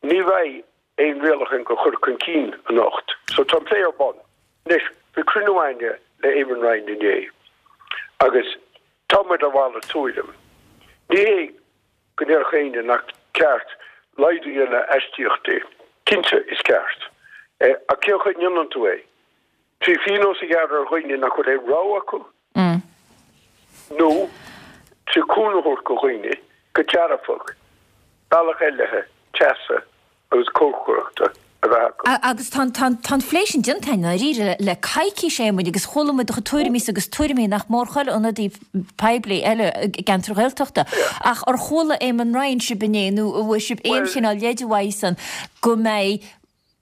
ní bheidh aon rialachán á chur chun cinn anocht. So tá an plé ar bun. Anois, bhí cruinniú againne le Eamon Ryan inné agus tá muid ar mhalairt tuairim. Ní hé go ndéarfadh éinne nach ceart laghdú a dhéanamh ar aistíochtaí. Cinnte, is ceart. Ach cén chaoi a ndéanann tú é? Trí phionós a ghearradh ar dhaoine nach bhfuil aon rogha acu? Nó trí cúnamh a thabhairt do dhaoine go dearfach, bealach eile teasa agus cócaireachta a bheith acu. Agus tá an phlé sin déanta i ndáiríre le coicís, a Éamoinn, agus chuala muid do chuid tuairimísa agus tuairimí nach mór chuile ionadaí poiblí eile i gceantar Ghaeltachta. Ach ar chuala Éamon Ryan sibh inné nó an bhfuair sibh aon chineál leide uaidhsean go mbeidh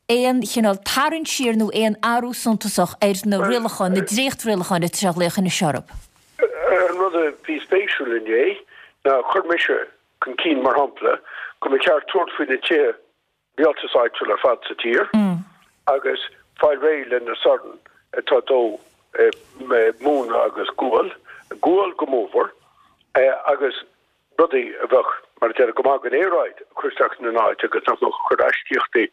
aon chineál tarraingt siar nó aon athrú suntasach ar na rialacháin, na dréachtrialacháin atá sé a ghlaoch anois orthu? An rud a bhí spéisiúil inné ná chuir mise chun cinn, mar shampla, go mba cheart tabhairt faoi na tithe rialtais áitiúil ar fad sa tír agus fáil réidh le na sorn atá ag dó móna agus gual, gual go mórmhór, agus rudaí a bheadh, mar a deir, go maith don aeráid a chur isteach ina n-áit agus nach mbeadh ag cur aistíochtaí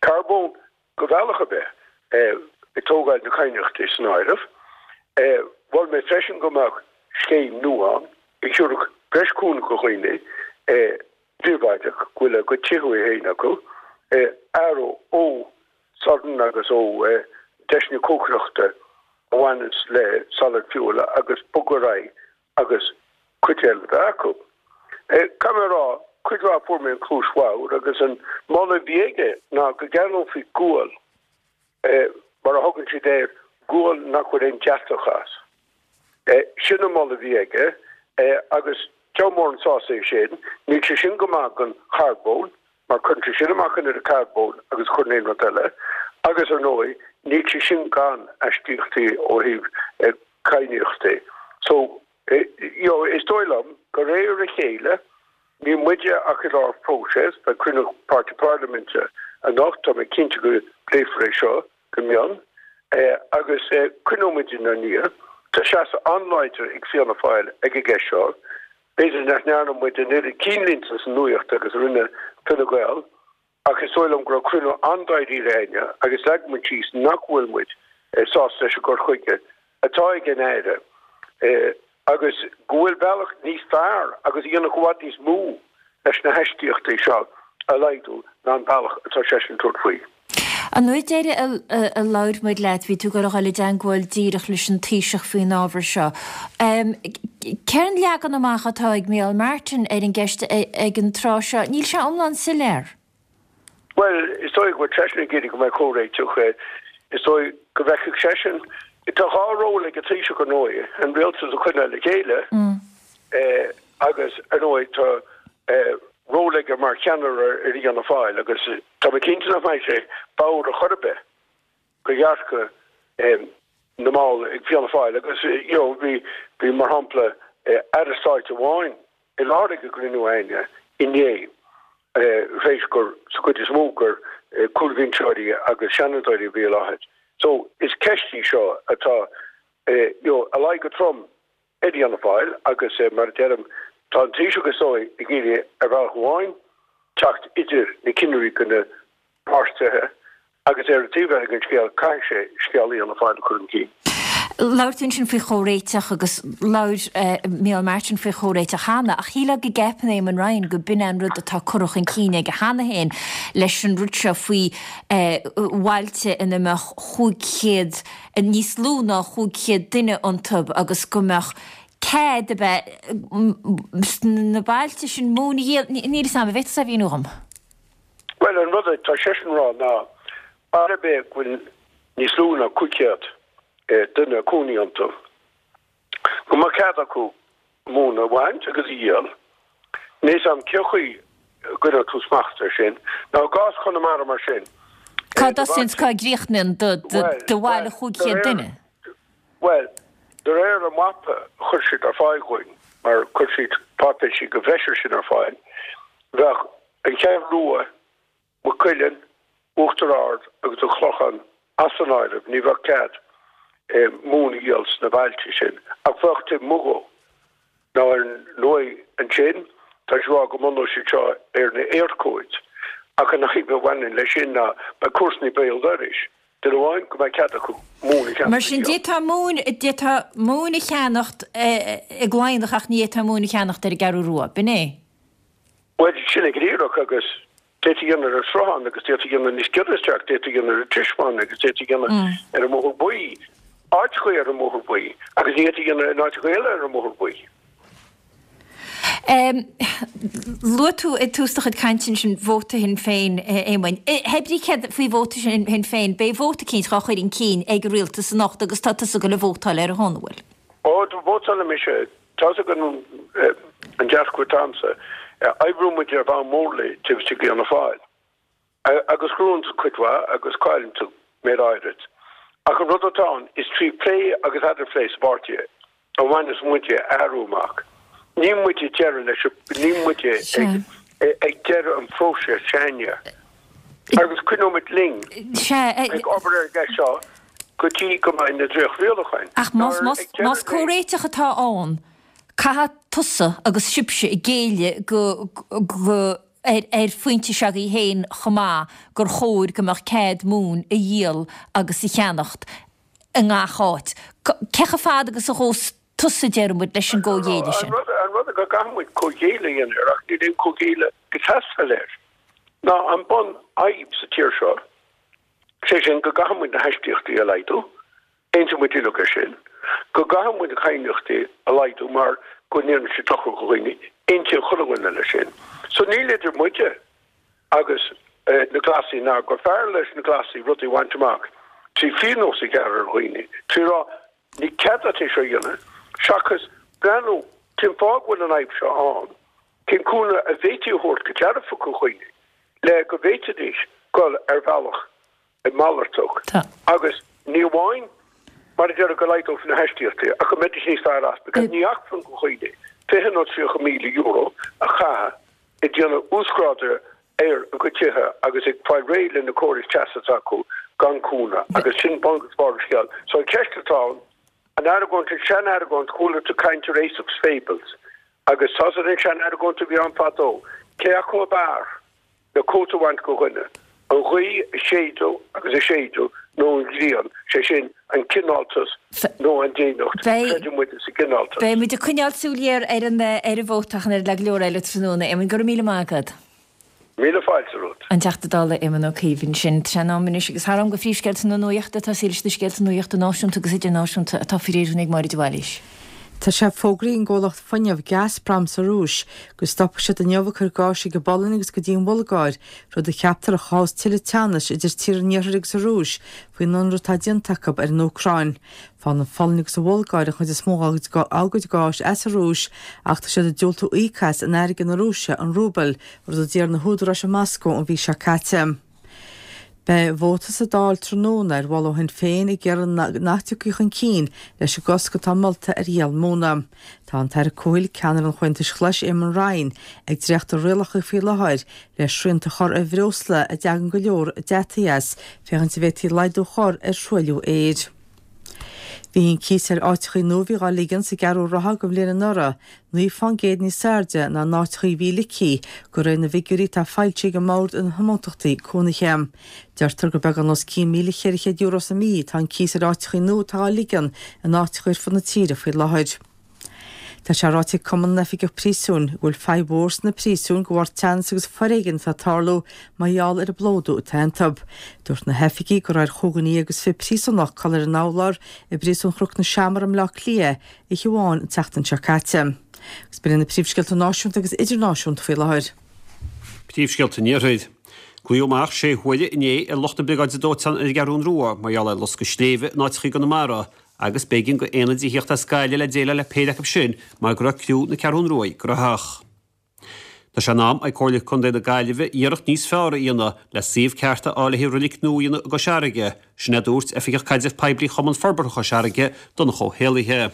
carbóin go bealach ar bith, ag tógáil na cainníochtaí san áireamh. Mhol mé freisin go mbeadh scéim nua ann a thabharfadh breis cúnamh do dhaoine príobháideach go bhfuil a gcuid tithe féin acu, athrú ó sorn agus ó deiseanna cócaireachta a bhaineanns le solid fuel agus bogadh ar aghaidh agus cuid eile a bheith acu. Caithfidh mé a rá, cuid mhaith fuair mé an chluais bhodhar agus an moladh a bhí aige ná go gceannófaí gual, mar a thugann siad air, gual nach bhfuil aon deatach as. Sin an moladh a bhí aige agus deabhal mór an sásamh é sin. Níl sé sin go maith don charbón mar cuireann sé sin amach an oiread carbóin agus a chuireann aon rud eile agus, ar ndóigh, níl sé sin gan aistíochtaí ó thaobh cainníochtaí. So, you know, is dóigh liom de réir a chéile, níl muide ach i lár próiseas, beidh cruinniú páirtí parlaiminte anocht, tá mé cinnte go bpléifear é seo go mion, agus coinneoidh muid inár ndiaidh. Tá seasamh an-láidir ag Fianna Fáil ag an gceist seo. B'fhéidir nach ndearna muid an oiread cinnlínte sa nuacht agus a rinne Fine Gael, ach is dóigh liom go raibh cruinniú an-dáiríre againne agus leag muid síos nach bhfuil muid sásta leis an gcur chuige atá ag an Aire agus go bhfuil bealach níos fearr agus a dhéanfadh i bhfad níos mó leis na haistíochtaí seo a laghdú ná an bealach atá seisean ag tabhairt faoi. An uair deiridh a labhair muid leat, bhí tú ag dul a dhul i dteangmháil díreach leis an Taoiseach faoin ábhar seo. Cén leagan amach atá ag Micheál Martin ar an gceist ag an tráth seo? Níl sé iomlán soiléir. Bhuel, is dóigh go bhfuil seisean ag iarraidh go mbeidh comhréiteach. Is dóigh go bhfeicfeadh seisean. Tá dhá ról ag an Taoiseach, ar ndóigh, an rialtas a choinneáil le chéile agus, ar ndóigh, tá ról aige mar cheannaire ar Fhianna Fáil agus tá mé cinnte nach mbeidh sé bodhar ar chor ar bith do dhearcadh na mball ag Fianna Fáil agus, you know, bhí, bhí, mar shampla, Aire Stáit amháin i láthair ag an gcruinniú againne inné, tar éis gur, sa gcuid is mó, gur cúlbhinseoirí agus seanadóirí a bhí i láthair. So, is ceist í seo atá, you know, a luí go trom ar Fhianna Fáil agus, mar a deirim, tá an Taoiseach is dóigh ag iarraidh ar bhealach amháin teacht idir na cinnirí de na páirtithe Agus ar an taobh eile den scéal, caithfidh sé scéal Fhianna Fáil a chur chun cinn. Labhair tú ansin faoi chomhréiteach agus labhair Micheál Martin faoi chomhréiteach cheana, ach shílfeá go gceapann Éamon Ryan go b'in é an rud atá curtha chun cinn aige cheana féin leis an rud seo faoi bhailte ina mbeadh chúig chéad, níos lú ná chúig chéad duine iontu agus go mbeadh cead a bheith sna bailte sin móin a dhíol. Níl a fhios agam, an bhféadfá a mhíniú dhom? Bhuel, an rud atá seisean a rá ná, baile ar bith go bhfuil níos lú ná cúig chéad duine ag cónaí iontu, go mbeadh cead acu móin a bhaint agus a dhíol. Níl a fhios agam cén chaoi a gcoinneodh tú smacht air sin. Now, i gcás Chonamara mar sin, Cá dtosaíonn 's cá gcríochnaíonn do bhaile chúig chéad duine? Bhuel, de réir an mhapa a chuir siad ar fáil dhúinn, mar chuir siad páipéisí de bhreis air sin ar fáil, bheadh An Cheathrú Rua, Maigh Cuilinn, Uachtar Ard agus an Clochán as an áireamh, ní bheadh cead móin a dhíol sna bailte sin, ach bheadh taobh amuigh dhó. Now ar ndóigh ansin, tá siad ag rá go mbunóidh siad seo ar na Éirchóid, ach an fhadhb a bhaineann leis sin ná beidh comharsana béal dorais, duine amháin go mbeidh cead acu móin a cheannacht Mar sin, d'fhéadfá móin, d'fhéadfá móin a cheannacht i gCladhnach ach ní fhéadfá móin a cheannacht ar an gCeathrú Rua, b'in é? Bhuel, sin é go díreach, agus d'fhéadfaí a dhéanamh ar an Sruthán, agus d'fhéadfaí a dhéanamh níos giorra isteach, d'fhéadfaí a dhéanamh ar an Trismeán, agus d'fhéadfaí a dhéanamh ar an mBóthar Buí, áiteachaí ar an mBóthar Buí, agus ní fhéadfaí a dhéanamh in áiteachaí eile ar an mBóthar Buí. Luaigh tú i dtús do chuid cainte ansin vóta Shinn Féin, Éamoinn. Hé brí céard faoi vóta Shinn Féin, beidh vóta eicínt dhá chur chun cinn ag an rialtas anocht agus tá tusa ag goil a vótáil ar a shon, an bhfuil? Ó, vótálfaidh mise. Tá's agat an dearcadh atá agamsa. Oibríonn muid ar bhonn mórlaigh taobh istigh d'Fhianna Fáil. Agus gnóthaíonn tú cuid mhaith agus cailleann tú méid áirid. Ach an rud atá ann, is trí phlé agus eadarphlé sa bpáirtí a bhaineas muide athrú amach. Níl muid ag deireadh leis, níl muid ag deireadh an phróiseas s'againne. Agus coinneoidh muid linn ag obair ar an gceist seo go dtí go mbeidh na dréacht-rialacháin. Ach más comhréiteach atá ann, caithfidh tusa agus sibhse géilleadh go ar phointe s'agaibh féin chomh maith gur chóir go mbeadh cead móin a dhíol agus a cheannacht i ngach áit. Cé chomh fada agus a ghabhfas tusa, deir muid, leis an gcomhghéilleadh sin? An rud go gcaithfidh muid comhghéilleadh a dhéanamh air, ach níl aon comhghéilleadh ag teastáil air, ná an bun-fhadhb sa tír seo, sé sin go gcaithfidh muid na haistíochtaí a laghdú, Aontaíonn muid uilig air sin, go gcaithfidh muid na cainníochtaí a laghdú mar go ndéanann sé dochar do dhaoine, aontaíonn chuile dhuine leis sin. So níl idir muide agus na Glasaigh ná gur fearr leis na Glasaigh rudaí a bhaint amach trí phíonós a ghearradh ar dhaoine, trí rá ní cead duit é seo a dhéanamh, seachas breathnú cén fáth go bhfuil an fhadhb seo ann, cén cúnamh a bhféadfaí a thabhairt go dearfach do dhaoine le go bhféadfaidís dul ar bhealach malartach agus ní amháin mar a déarfá go laghdófaí na haistíochtaí ach go mbeidís níos fearr as because ní acmhainn do dhaoine fiche nó tríocha míle euro a chaitheamh ag déanamh uasghrádaithe ar a gcuid tithe agus ag fáil réidh le na córais teasa atá acu gan cúnamh agus sin bun agus barr an scéil. So an cheist atá ann, an argóint, an sean-argóint, chuala tú caint ar Aesop's Fables agus tá's agat an sean-argóint a bhí ann fadó, cé acu ab fhearr? le cóta a bhaint de dhuine, an ghaoth a séideadh agus a séideadh nó an ghrian, sé sin, an cineáltas nó an déineacht, creideann muide sa gcineáltas. Beidh muid ag coinneáil súil ghéar ar an ar an vóta ach an oiread le go leor eile tráthnóna. Éamon, go raibh míle maith agat. Míle fáilte romhat. An Teachta Dála Éamon Ó Cuív ansin. Tá sé in am anois agus thar am do phríomhscéalta na nuachta atá leis na scéalta nuachta náisiúnta agus idirnáisiúnta atá faoi réir ag Máire de Bhailís. Tá sé fógraithe ag an gcomhlacht fuinnimh Gazprom sa Rúis go stopfaidh siad inniu ag cur gáis chuig an bPolainn agus go dtí an Bhulgáir, rud a cheaptar a chothós tuilleadh teannais idir tíortha an Iarthair agus an Rúis faoin ionradh atá déanta acu ar an Úcráin. Faigheann an Pholainn agus an Bhulgáir an chuid is mó dá gcuid gáis as an Rúis ach tá siad ag diúltú íoc as in airgead na Rúise, an rúbal, rud a d'iarr na húdaráis i Moscó an mhí seo caite. Beidh vóta sa Dáil tráthnóna ar mholadh ó Shinn Féin ag iarraidh nach dtiocfaí chun cinn leis an gcosc atá molta ar dhíol móna. Tá an tAire Comhshaoil, ceannaire an Chomhaontais Ghlais, Eamon Ryan, ag dréachtú rialacha faoi láthair le srianta a chur ar bhreosla a dtagann go leor deataigh as, féachaint an bhféadfaí laghdú a chur ar thruailliú aeir. Bhí an cíos ar áiteachaí nua a bhí dhá ligean sa gCeathrú Rátha don bhliain anuraidh naoi fán gcéad níos airde ná na áiteachaí a bhí ligthe, de réir na bhfigiúirí atá foilsithe ag an mBord um Thionóntachtaí Cónaithe. Deirtear gur beagán os cionn míle cheithre chéad euro sa mí atá an cíos ar áiteachaí nua atá á ligean in áiteachaí ar fud na tíre faoi láthair. Tá sé ráite ag Cumann na nOifigeach Príosúin go bhfuil fadhb mhór sna príosúin de bharr teannas agus foréigean atá ag tarlú mar gheall ar an bplódú atá iontu. Dúirt na hoifigigh go raibh ar chúig dhuine déag agus fiche príosúnach codladh ar an urlár i bPríosún Chnoc na Seamar i mBleá Cliath oíche amháin an tseachtain seo caite. Agus b'in iad na príomhscéalta náisiúnta agus idirnáisiúnta faoi láthair. Príomhscéalta an Iarthair. Glaodh amach sé huaire inné ar lucht na Briogáide Dóiteáin ar an gCeathrún Rua mar gheall ar loscadh sléibhe in áiteachaí i gConamara agus b'éigean go aonaidí a theacht as Gaillimh le déileáil le péire acu sin mar go raibh criú na Ceathrún Ruaidh graitheach. Tá sé in am ag Comhairle Contae na Gaillimhe iarracht níos fearr a dhéanamh le suíomh ceart a fháil le haghaidh roilig nua a dhéanamh i gCois Fharraige, sin a dúirt Oifigeach Caidrimh Poiblí Chumann Forbartha Chois Fharraige, Donncha Ó hÉallaithe.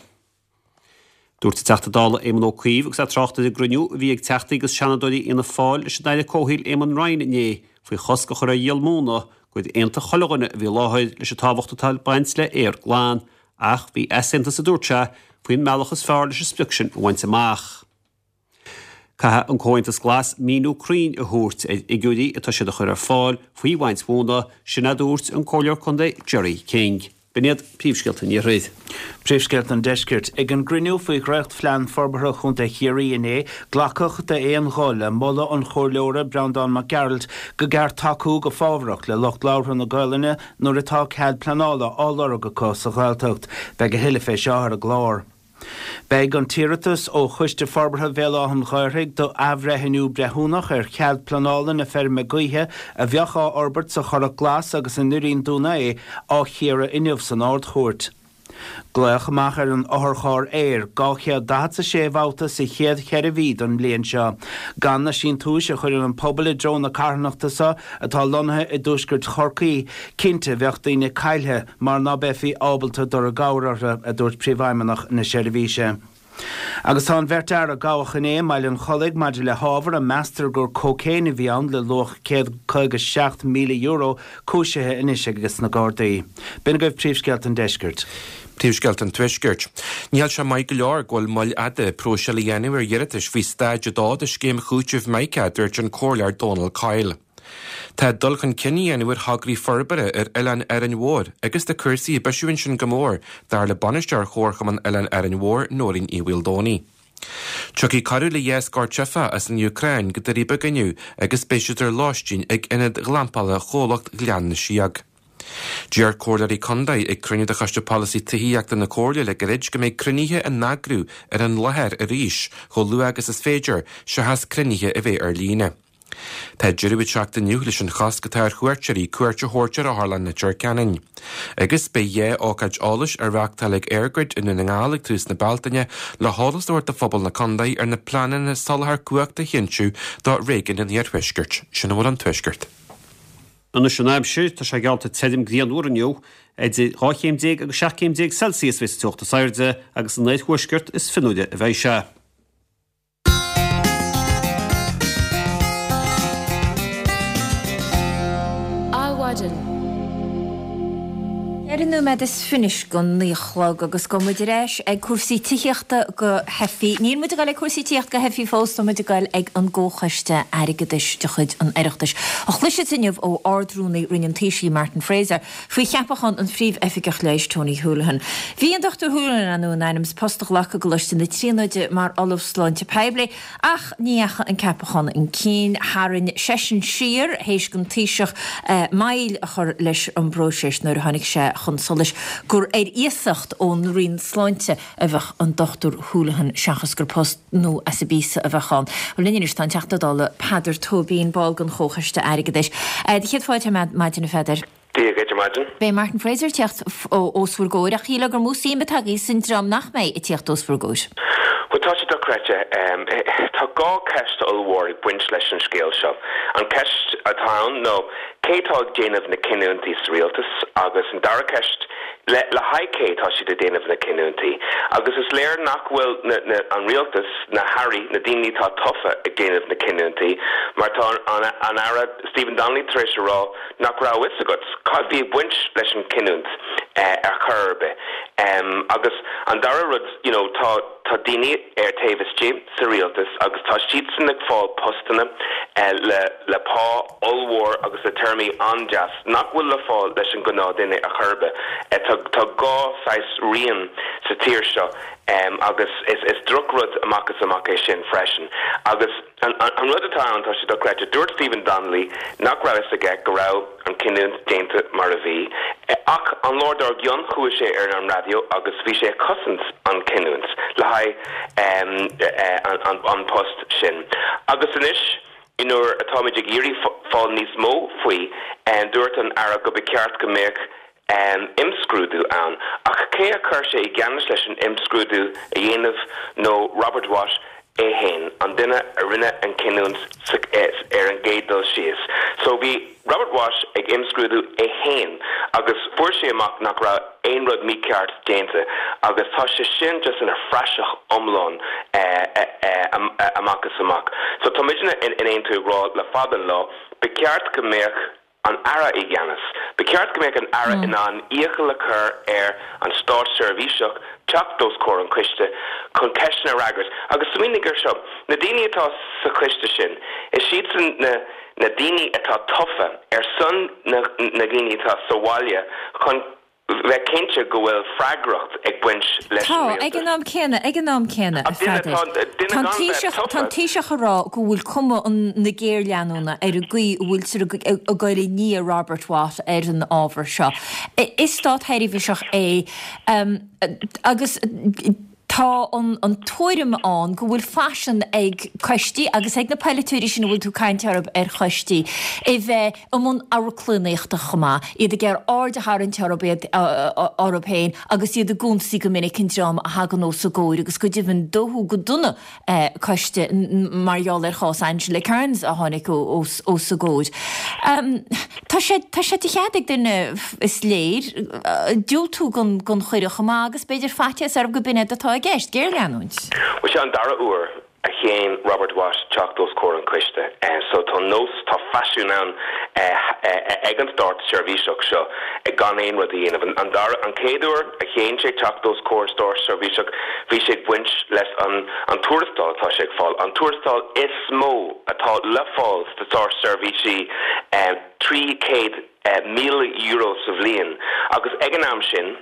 Dúirt an Teachta Dála Éamon Ó Cuív agus é ag trácht ar an gcruinniú a bhí ag Teachtaí agus Seanadóirí Fhianna Fáil leis an Aire Comhshaoil Eamon Ryan inné faoi chosc a chur ar dhíol móna gur aontaigh chuile dhuine a bhí i láthair leis an tábhacht atá ag baint le aer glan ach bhí easaontas, a dúirt sé, faoin mbealach is fearr leis an sprioc sin a bhaint amach. Caithfidh an Comhaontas Glas míniú cruinn a thabhairt ar fhigiúirí atá siad a chur ar fáil faoi bhaint mhóna, sin a dúirt an Comhairleoir Contae Gerry King. B'in iad príomhscéalta an Iarthair. Príomhscéalta an Deiscirt. Ag an gcruinniú faoi dhréachtphlean forbartha Chontae Chiarraí inné, glacadh d'aon ghuth le moladh an Chomhairleora Breandán Mac Gearailt go gceart tacú go fábharach le lucht labhartha na Gaolainne nuair atá cead pleanála á lorg acu sa Ghaeltacht. Beidh a thuilleadh fé seo ar an gclár. Beidh an t-iarratas ó Choiste Forbartha Bhéal Átha an Ghaorthaidh do athbhreithniú breithiúnach ar chead pleanála na feirme gaoithe a bheadh á fhorbairt sa Churrach Glas agus i nDoirín Dún Aodha á chíoradh inniu san Ard-Chúirt. Glaoch amach ar an otharcharr aeir dhá chéad daichead 's a sé bhabhta sa chéad cheithre mhí don mbliain seo. Gan na síntiúis a chuireann an pobal i dtreo na carthanachta seo atá lonnaithe i dtuaisceart Chorcaí, cinnte bheadh daoine caillthe mar ná beifí ábalta dul i gcabhair orthu, a dúirt Príomhfheidhmeannach na seirbhíse. Agus tá an bheirt fhear a gabhadh inné i mBaile an Chollaigh maidir le hábhar a meastar gur cócaon a bhí ann le luach céad caoga seacht míle euro cúisithe anois ages na Gardaí. B'in agaibh príomhscéalta an deiscirt. Príomhscéalta an Tuaiscirt. Níl sé maith go leor go bhfuil moill fhada próiseáil a dhéanamh ar iarratais faoi Staid a dó de scéim chúitimh Mica, a dúirt an Comhairleoir Dónal Coyle. Tá dul chun cinn á dhéanamh ar thograí forbartha ar Oileán Árainn Mhór agus tá cúrsaí ag bisiú ansin go mór, dar le Bainisteoir Chomharchumann Oileán Árainn Mhór, Nóirín Uí Mhaoldomhnaigh. Tiocfaidh corradh le dhá scór teifeach as an Úcráin go Doirí Beaga inniu agus beidh siad ar lóistín ag ionad glampála chomhlacht Ghleann na Síóg. Deir comhairleoirí contae ag cruinniú de Choiste Polasaí Tithíochta na Comhairle le gairid go mbeidh cruinnithe á n-eagrú ar an láthair arís chomh luath agus is féidir, seachas cruinnithe a bheith ar líne. Tá deireadh ag teacht inniu leis an chosc atá ar chuairteoirí cuairt a thabhairt ar Otharlann Leitir Ceanainn. Agus beidh dhá ócáid eolais á reáchtáil ag EirGrid i nDún na nGall ag tús na Bealtaine le heolas a thabhairt do phobal na contae ar na pleananna soláthar cumhachta a chinntiú do réigiún an Iarthuaiscirt. Sin a bhfuil ón Tuaisceart. Anois an aimsir, tá sé geallta tirim grianmhar inniu, idir dhá chéim déag agus seacht gcéim déag Celsius a bheidh sa teocht is airde agus san oirthuaisceart is fionnuaire a bheidh sé. Adhmhaidin. Ceithre nóiméad is fiche go naoi a chlog agus gabhfaidh muid ar ais ag cúrsaí tithíochta go theifigh. Níl muid ag dul ag cúrsaí tithíochta go theifigh fós, tá muid ag dul ag an gComhchoiste Airgeadais de chuid an Oireachtais. A chloisfidh inniu ó Ard-Rúnaí Roinn an Taoisigh, Martin Fraser, faoi cheapachán an Phríomh-Oifigeach Leighis, Tony Holohan. Bhí an Dochtúir Holohan in ainm is post a ghlacadh i gColáiste na Tríonóide mar Ollamh Sláinte Poiblí ach ní dheachaigh an ceapachán chun cinn. Tharraing seisean siar théis don Taoiseach moill a chur leis an bpróiseas nuair a tháinig sé chun solais gur ar iasacht ón Roinn Sláinte a bheadh an Dochtúir Holohan seachas gur post nua as an bpíosa a bheadh ann. Bhuel linn anois tá an Teachta Dála Peadar Tóibín, ball den Chomhchoiste Airgeadais. Do chéad fáilte ar maidin, a Pheadair. Dia dhuit ar maidin. Beidh Martin Fraser ag tíocht os bhur gcomhair ach shílfeá gur mó suim atá agaibh san dream nach mbeidh ag tíocht os bhur gcomhair. Bhuel, tá sé dochreidte. Tá dhá cheist ollmhór ag baint leis an scéal seo. An cheist atá ann ná cé atá ag déanamh na cinniúintí sa rialtas agus an dara ceist, le le haghaidh cé atá siad ag déanamh na cinniúintí? Agus is léir nach bhfuil na na an rialtas, na hairí, na daoine atá tofa ag déanamh na cinniúintí mar tá an an Aire Stephen Donnelly tar éis a rá nach raibh a fhios agat cad bhí ag baint leis an cinniúint ar chor ar bith. Agus an dara rud, you know, tá tá daoine ar taobh istigh sa rialtas agus tá siadsan ag fáil postanna le le pá ollmhór agus le téarmaí an-deas nach bhfuil le fáil leis an gnáthduine ar chor ar bith. Tá tá dhá saghas rian sa tír seo agus is is drochrud amach is amach é sin freisin. Agus an an rud atá ann, tá sé dochreidte, dúirt Stephen Donnelly nach raibh fhios aige go raibh an cinniúint déanta mar a bhí, ach an lá dár gcionn chuaigh sé ar an raidió agus bhí sé ag cosaint an cinniúint le haghaidh an an post sin. Agus anois nuair atáimid ag iarraidh fáil níos mó faoi, dúirt an Aire go ba cheart go mbeadh imscrúdú ann. Ach cé a chuir sé i gceannas leis an imscrúdú a dhéanamh nó Robert Watt é fhéin, an duine a rinne an cinniúint ar an gcéad dul síos. So bhí Robert Watt ag imscrúdú é fhéin agus fuair sé amach nach raibh aon rud mícheart déanta agus tá sé sin just ina phraiseach iomlán amach is amach. So tá muidne in Aontú ag rá le fada an lá, ba cheart go mbeadh an Aire i gceannas. Ba cheart go mbeadh an Aire in ann iachall a chur ar an státseirbhíseach teacht os comhair an choiste chun ceisteanna a fhreagairt. Agus smaoinigh air seo, na daoine atá sa choiste sin, is iadsan na na daoine atá tofa ar son na na dhaoine atá sa bhaile chun bheith cinnte go bhfuil freagracht ag baint leis an Tá, ag rialtas. an am céanna, ag an am céanna, a Ach duine Pheadair, atá, duine tá an gan bheith Taoiseach, tá tofa. an Taoiseach ag rá go bhfuil cuma an, na géarleanúna ar an gcaoi a bhfuiltear ag, ag, ag dul i ndiaidh Robert Watt ar an ábhar seo. Is státsheirbhíseach é, um, agus Tá an an tuairim ann go bhfuil faisean ag coistí agus ag na polaiteoirí sin a bhfuil tú ag caint orthu ar choistí a bheith i mbun amharclannaíochta chomh maith, iad ag iarraidh aird a tharraingt orthu iad orthu féin agus iad ag ionsaí go minic an dream a thagann os a gcomhair agus go deimhin dódh go dona coiste mar gheall ar chás Angela Kearns a tháinig os os a gcomhair. Tá sé tá sé de chead ag duine is léir diúltú don don chuireadh chomh maith agus b'fhéidir faitíos orthu go b'in é atá i gceist, géarleanúint. Bhuel seo an dara huair a shéan Robert Watt teacht os comhair an choiste. So tá nós, tá faisiún ann ag an státseirbhíseach seo gan aon rud a dhéanamh. An dara, an chéad uair a shéan sé teacht os comhair an státseirbhíseach bhí sé ag baint leis an an tuarastal atá sé ag fáil, an tuarastal is mó atá le fáil sna státseirbhísí, trí chéad míle euro sa bhliain agus ag an am sin,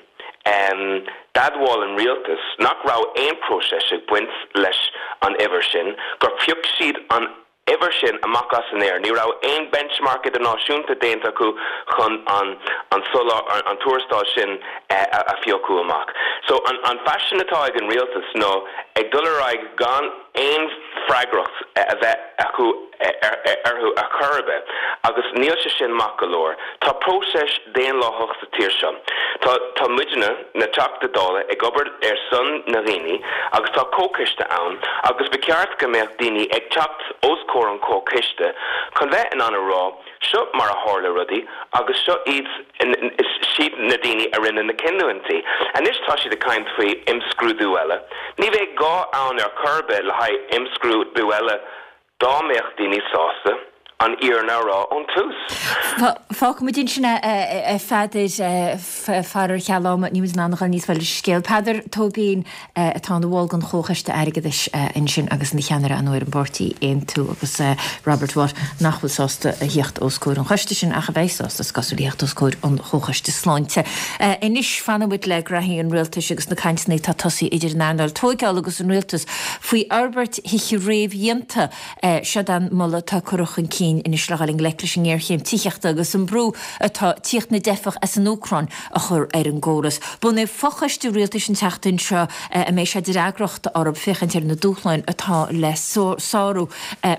D'admháil an rialtas nach raibh aon próiseas ag baint leis an uimhir sin, gur phioc siad an uimhir sin amach as an aer. Ní raibh aon benchmark idirnáisiúnta déanta acu chun an an tuarastal sin a phiocadh amach. So an faisean atá ag an rialtas ná ag dul ar aghaidh gan aon freagracht a bheith acu orthu ar chor ar bith agus níl sé sin maith go leor. Tá próiseas daonlathach sa tír seo. Tá tá muidne, na Teachtaí Dála, ag obair ar son na ndaoine agus tá comhchoiste ann agus ba cheart go mbeadh daoine ag teacht os comhair an chomhchoiste chun bheith in ann a rá seo mar a tharla rudaí agus seo iad siad na daoine a rinne na cinniúintí. Anois tá siad ag caint faoi imscrúdú eile. Ní bheadh gá ann ar chor ar bith le haghaidh imscrúdú eile dá mbeadh daoine sásta an fhírinne a rá ón tús. Fágfaimid ansin é, a Pheadair, faraor ar cheal ama, níl muid in ann a dhul níos faide leis an scéal. Peadar Tóibín atá ina bhall den Chomhchoiste Airgeadais ansin agus ina cheannaire ar ndóigh ar an bpáirtí Aontú agus Robert Watt nach bhfuil sásta a theacht os comhair an choiste sin ach a bheidh sásta is cosúil a theacht os comhair an Chomhchoiste Sláinte. Anois fanfaidh muid le graithí an rialtais agus na cainteanna atá tosaithe idir an earnáil tóigeála agus an rialtas faoi fhorbairt thithe réamhdhéanta. Seod an moladh atá curtha chun cinn anois le dhul i ngleic leis an ngéarchéim tithíochta agus an brú atá tíocht na dteifeach as an Úcráin a chur ar an gcóras. Bunaíodh fochoiste rialtais an tseachtain seo a mbeidh sé de fhreagracht orthu féachaint ar na dúshláin atá le sárú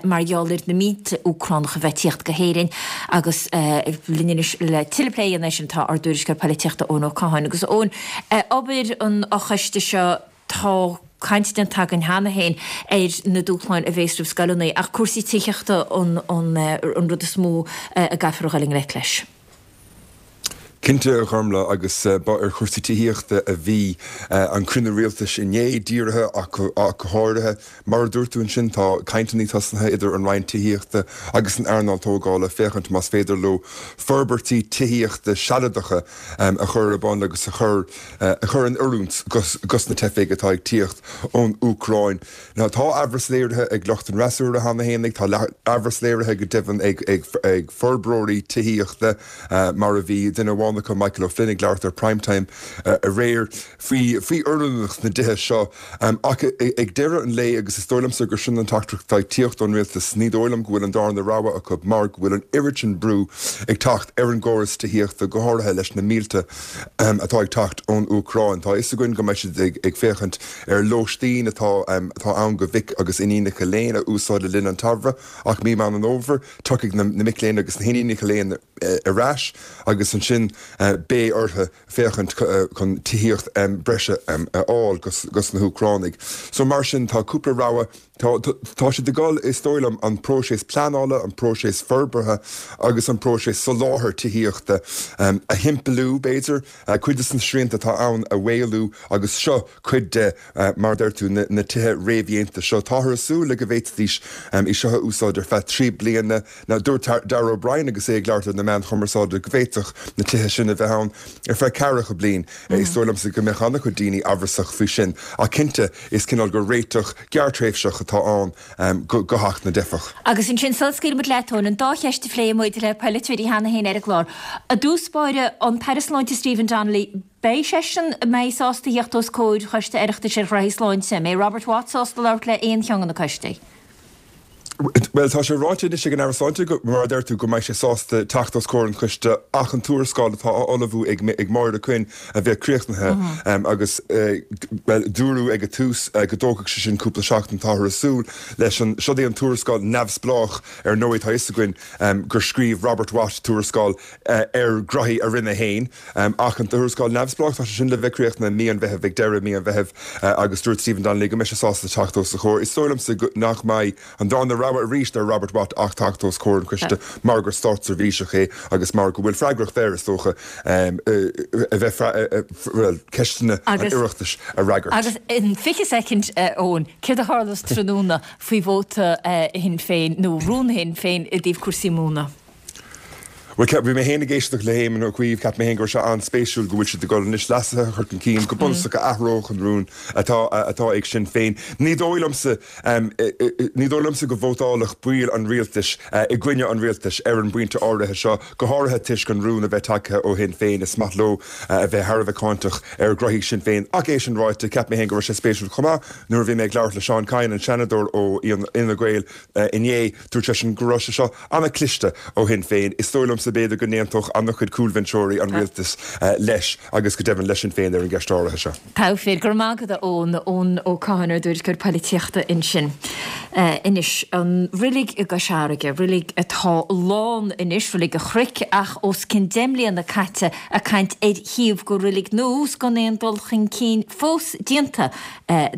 mar gheall ar na mílte Úcránach a bheith ag tíocht go hÉirinn agus linn anois le tuilleadh plé a dhéanamh air sin tá ár dtuairisceoir polaitíochta Eoin Ó Catháin. Agus Eoin, obair an fhochoiste seo, tá caint déanta againn cheana féin ar na dúshláin a bhéas roimh scoileanna ach cúrsaí tithíochta an rud is mó a gcaithfear a dhul i ngleic leis. Cinnte, a Ghormlaith, agus ba ar chúrsaí tithíochta a bhí an cruinniú rialtais inné dírithe ach go háirithe. Mar a dúirt tú ansin, tá cainteanna tosnaithe idir an Roinn Tithíochta agus an earnáil tógála féachaint más féidir leo forbairtí tithíochta sealadacha a chur ar bun agus a chur a chur in oiriúint dos na teifigh atá ag tíocht ón Úcráin. Now tá amhras léirithe ag lucht an fhreasúra cheana fhéinig, tá amhras léirithe go deimhin ag ag forbróirí tithíochta mar a bhí duine amháin acu, Michael O'Flynn, ag labhairt ar Prime Time aréir faoi faoi oiriúnacht na dtithe seo. Ach ag deireadh an lae, agus is dóigh liomsa gur sin an teachtaireacht atá ag tíocht ón rialtas, ní dóigh liom go bhfuil an darna rogha acu mar go bhfuil an oiread sin brú ag teacht ar an gcóras tithíochta, go háirithe leis na mílte atá ag teacht ón Úcráin. Tá a fhios againn go mbeidh siad ag féachaint ar lóistín atá atá ann do mhic agus iníonacha léinn a úsáid le linn an tsamhraidh ach mí Meán an Fhómhair tiocfaidh na mic léinn agus na hiníonacha léinn ar ais agus ansin beidh orthu féachaint chun tithíocht breise a fháil dos na hÚcránaigh. So mar sin tá cúpla rogha, tá tá siad ag dul, is dóigh liom, an próiseas pleanála, an próiseas forbartha agus an próiseas soláthair tithíochta a shimpliú, b'fhéidir, cuid de na srianta atá ann a mhaolú agus seo cuid de, mar a deir tú, na tithe réamhdhéanta seo. Táthar ag súil le go bhféadfaidís í seo a úsáid ar feadh trí bliana. Now dúirt Darragh O'Brien agus é ag labhairt ar na meáin chumarsáide go bhféadfadh na tithe sin a bheith ann ar feadh ceathracha bliain. Is dóigh liomsa go mbeadh an-chuid daoine amhrasach faoi sin ach cinnte is cineál de réiteach gearrtréimhseach atá ann do theacht na dteifeach. Agus ansin sula scaoilfidh muid leat, Eoin, an dá cheist a phléigh muid le polaiteoirí cheana féin ar an gclár. I dtús báire, an tAire Sláinte Stephen Donnelly, beidh seisean, an mbeidh sásta a theacht os comhair Choiste Oireachtais ar ghraithí sláinte? An mbeidh Robert Watt sásta labhairt le aon cheann de na coistí? Bhuel, tá sé ráite anois ag an Aire Sláinte, mar a deir tú, go mbeidh sé sásta teacht os comhair an choiste ach an tuarascáil atá á ullmhú ag Máire Quinn a bheith críochnaithe agus, bhuel, dúradh ag an tús go dtógfadh sé sin cúpla seachtain. Táthar ag súil leis an, siod é an tuarascáil neamhspleách ar ndóigh, tá fhios againn gur scríobh Robert Watt tuarascáil ar ghraithí a rinne féin ach an tuarascáil neamhspleách, tá sé sin le bheith críochnaithe i mí an Mheithimh, ag deireadh mí an Mheithimh agus dúirt Stephen Donnelly go mbeidh sé sásta teacht os a chomhair. Is dóigh liomsa nach mbeidh an darna rogha arís ar Robert Watt ach teacht os comhair an choiste mar gur státseirbhíseach é agus mar go bhfuil freagracht air, is dócha, a bheith, bhuel, ceisteanna an Oireachtais a fhreagairt. Agus in fiche soicind, Eoin, céard a tharlós tráthnóna faoi vóta Shinn Féin nó rún Shinn Féin i dtaobh cúrsaí móna? Bhuel, bhí mé féin ag éisteacht le hÉamon Ó Cuív, cheap mé féin go raibh sé an-spéisiúil go bhfuil siad ag dul anois leasuithe a chur chun cinn go bunúsach a athródh an rún atá atá ag Sinn Féin. Ní dóigh liomsa ní dóigh liomsa go vótálfadh baill an rialtais i gcoinne an rialtais ar an bpointe áirithe seo, go háirithe toisc an rún a bheith tagtha ó Shinn Féin. Is maith leo a bheith thar a bheith cáinteach ar ghraithí Sinn Féin. Ach é sin ráite, cheap mé féin go raibh sé spéisiúil chomh maith nuair a bhí mé ag labhairt le Seán Kyne, an Seanadóir ó Fhine Gael inné, dúirt seisean go raibh sé seo an-chliste ó Shinn Féin. Is dóigh liomsa b'fhéidir go n-aontódh an-chuid cúlbhinseoirí an rialtais leis agus go deimhin le Sinn Féin ar an gceist áirithe seo. Togha fear. Go raibh maith agat a Eoin. Eoin Ó Catháin ár dtuairisceoir poilitíochta ansin. Anois, an roilig i gCois Fharraige, roilig atá lán anois, roilig an Chnoic, ach os cionn deich mbliana caite ag caint ar shuíomh go roilig nua 's gan aon dul chun cinn fós déanta,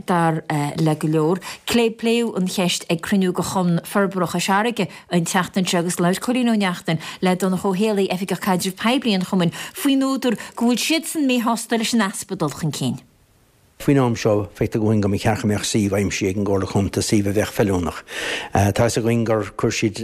dar le go leor. Pléadh an cheist ag cruinniú de Chumann Forbartha Chois Fharraige an tseachtain seo agus labhair Cóilín Ó Neachtain le Donncha Ó Héalaí, Oifigeach Caidrimh Poiblí an Chumainn, faoin údar go bhfuil siadsan míshásta leis an easpa dul chun cinn. Faoin am seo, feictear dúinn go mba cheart go mbeadh suíomh aimsithe ag an gComhairle Contae, suíomh a bheadh feiliúnach. Tá fhios againn gur chuir siad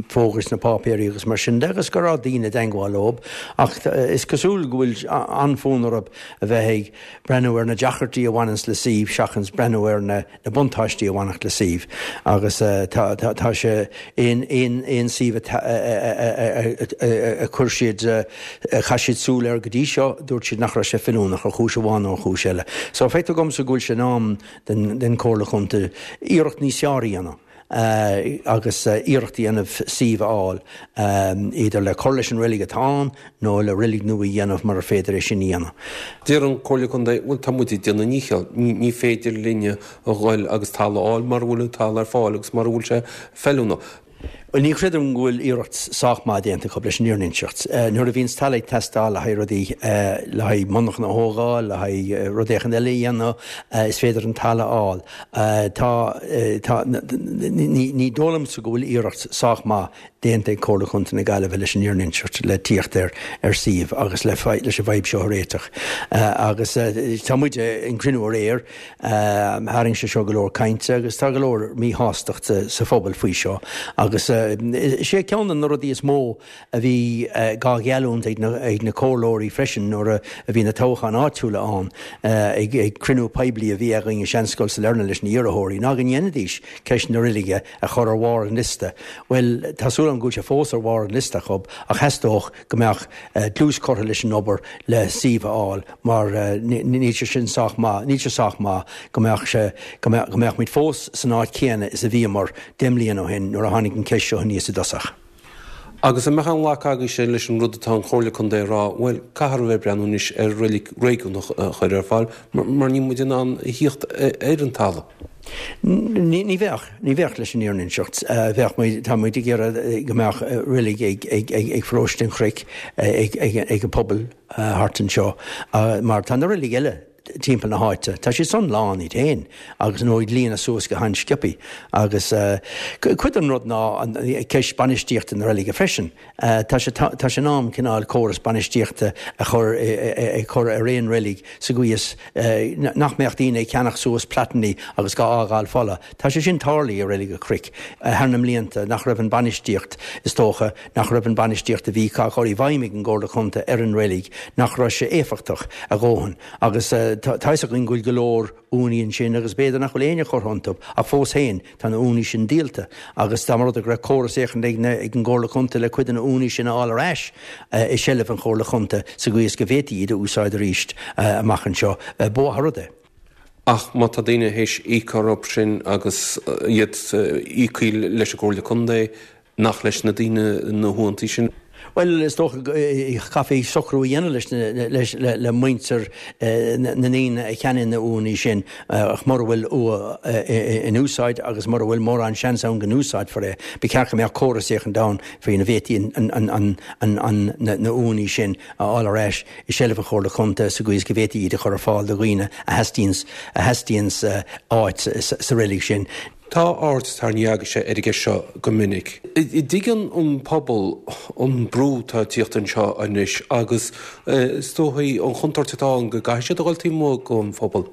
fógraí sna páipéirí agus mar sin de agus go raibh daoine i dteangmháil leo ach is cosúil go bhfuil an-fhonn orthu a bheith ag breathnú ar na deacrachtaí a bhaineanns le suíomh seachas breathnú ar na buntáistí a bhainfeadh le suíomh agus tá sé aon aon suíomh a chuir siad a chaith siad súil air go dtí seo dúirt siad nach raibh sé feiliúnach ar chúis amháin nó ar chúis eile. So feictear dhomsa go bhfuil sé in am don Chomhairle Chontae iarracht níos fearr a dhéanamh. agus iarracht a dhéanamh suíomh a fháil, idir le cur leis an reilig atá ann nó le reilig nua a dhéanamh murar féidir é sin a dhéanamh. Deir an Comhairle Contae, bhuel tá muid ag déanamh a ndícheall, ní féidir linne a ghoil agus talamh a fháil mura bhfuil an talamh ar fáil agus mura bhfuil sé feiliúnach. Bhuel ní chreidim go bhfuil iarracht sách maith déanta acu leis an fhírinne a inseacht. Nuair a bhíonns talamh ag teastáil le haghaidh rudaí, le haghaidh monarchan a thógáil, le haghaidh rud éicint eile a dhéanamh, is féidir an talamh a fháil. Tá, tá, ní dóigh liomsa go bhfuil iarracht sách maith déanta ag Comhairle Chontae na Gaillimhe leis an fhírinne a inseacht, le tíocht ar ar suíomh agus le leis an bhfadhb seo a réiteach. Agus tá muid an cruinniú aréir, tharraing sé seo go leor cainte agus tá go leor míshástachta sa phobal faoi seo agus is é ceann de na rudaí is mó a bhí dhá gheallúint ag na ag na comhairleoirí freisin nuair a bhí na toghcháin áitiúla ann ag ag cruinniú poiblí a bhí againn i Seanscoil Sailearna leis na hiarrthóirí ná go ndéanfaidís ceist na reilige a chur ar bharr an liosta. Bhuel, tá súil agam go bhfuil sé fós ar bharr an liosta acu ach theastódh go mbeadh dlús curtha leis an obair le suíomh a fháil mar níl sé sin sách maith, níl sé sách maith go mbeadh sé, go mbeadh, go mbeadh muid fós san áit chéanna is a bhíomar deich mbliana ó shin nuair a tháinig an cheist seo aníos i dtosach. Agus an mbeadh aon ghlacadh agaibhse leis an rud atá an Chomhairle Contae a rá, bhuel, caithfear a bheith ag breathnú anois ar reilig réigiúnach a chur ar fáil mar níl muid in ann a thíocht ar an talamh. Ní bheadh, ní bheadh leis an fhírinne a inseacht. Bheadh muid, tá muid ag iarraidh go mbeadh reilig ag, ag, ag, ag Paróiste an Chnoic, ag, ag, ag an pobal thart anseo mar tá na reilig eile timpeall na háite. Tá siad san lán iad féin agus nó ag líonadh suas go han-sciobthaí. Agus cuid den rud ná an ceist bainistíochta na reilige freisin. Tá sé tá sé in am cineál córas bainistíochta a chur a chur ar aon reilig sa gcaoi is nach mbeadh daoine ag ceannach suas plotannaí agus dhá fhágáil folamh. Tá sé sin tarlaithe i Reilig an Chnoic thar na mblianta nach raibh an bainistíocht is dócha nach raibh an bainistíocht a bhí á chur i bhfeidhm ag an gComhairle Contae ar an reilig nach raibh sé éifeachtach a dhóthain agus tá a fhios againn go bhfuil go leor urnaí ansin agus b'fhéidir nach bhfuil éinne curtha iontu ach fós féin tá na urnaí sin díolta agus dá mba rud é go raibh córas éicint ag na ag an gComhairle Contae le cuid de na urnaí sin a fháil ar ais i seilbh an Chomhairle Chontae sa gcaoi is go bhféadfaí iad a úsáid arís amach anseo ba mhaith an rud é. Ach má tá daoine théis íoc orthu sin agus iad íoctha leis an gComhairle Contae, nach leis na daoine na huainíochtaí sin? Bhuel, is dócha go gcaithfí socrú a dhéanamh leis leis le muintir na ndaoine a cheannaigh na uaigheanna sin ach mura bhfuil uaigh in úsáid agus mura bhfuil mórán seans ann go n-úsáidfear é, ba cheart go mbeadh córas éicint ann faoina bhféadfaí na uaigheanna sin a fháil ar ais i seilbh an Chomhairle Contae sa gcaoi is go bhféadfaí iad a chur ar fáil do dhaoine a theastaíonn áit sa reilig sin. Tá aird tarraingthe agaibhse ar an gceist seo go minic. An dtuigeann an pobal an brú atá ag tíocht anseo anois agus is dóichí an chontúirt atá ann go gcaithfidh siad a dhul taobh amuigh den phobal?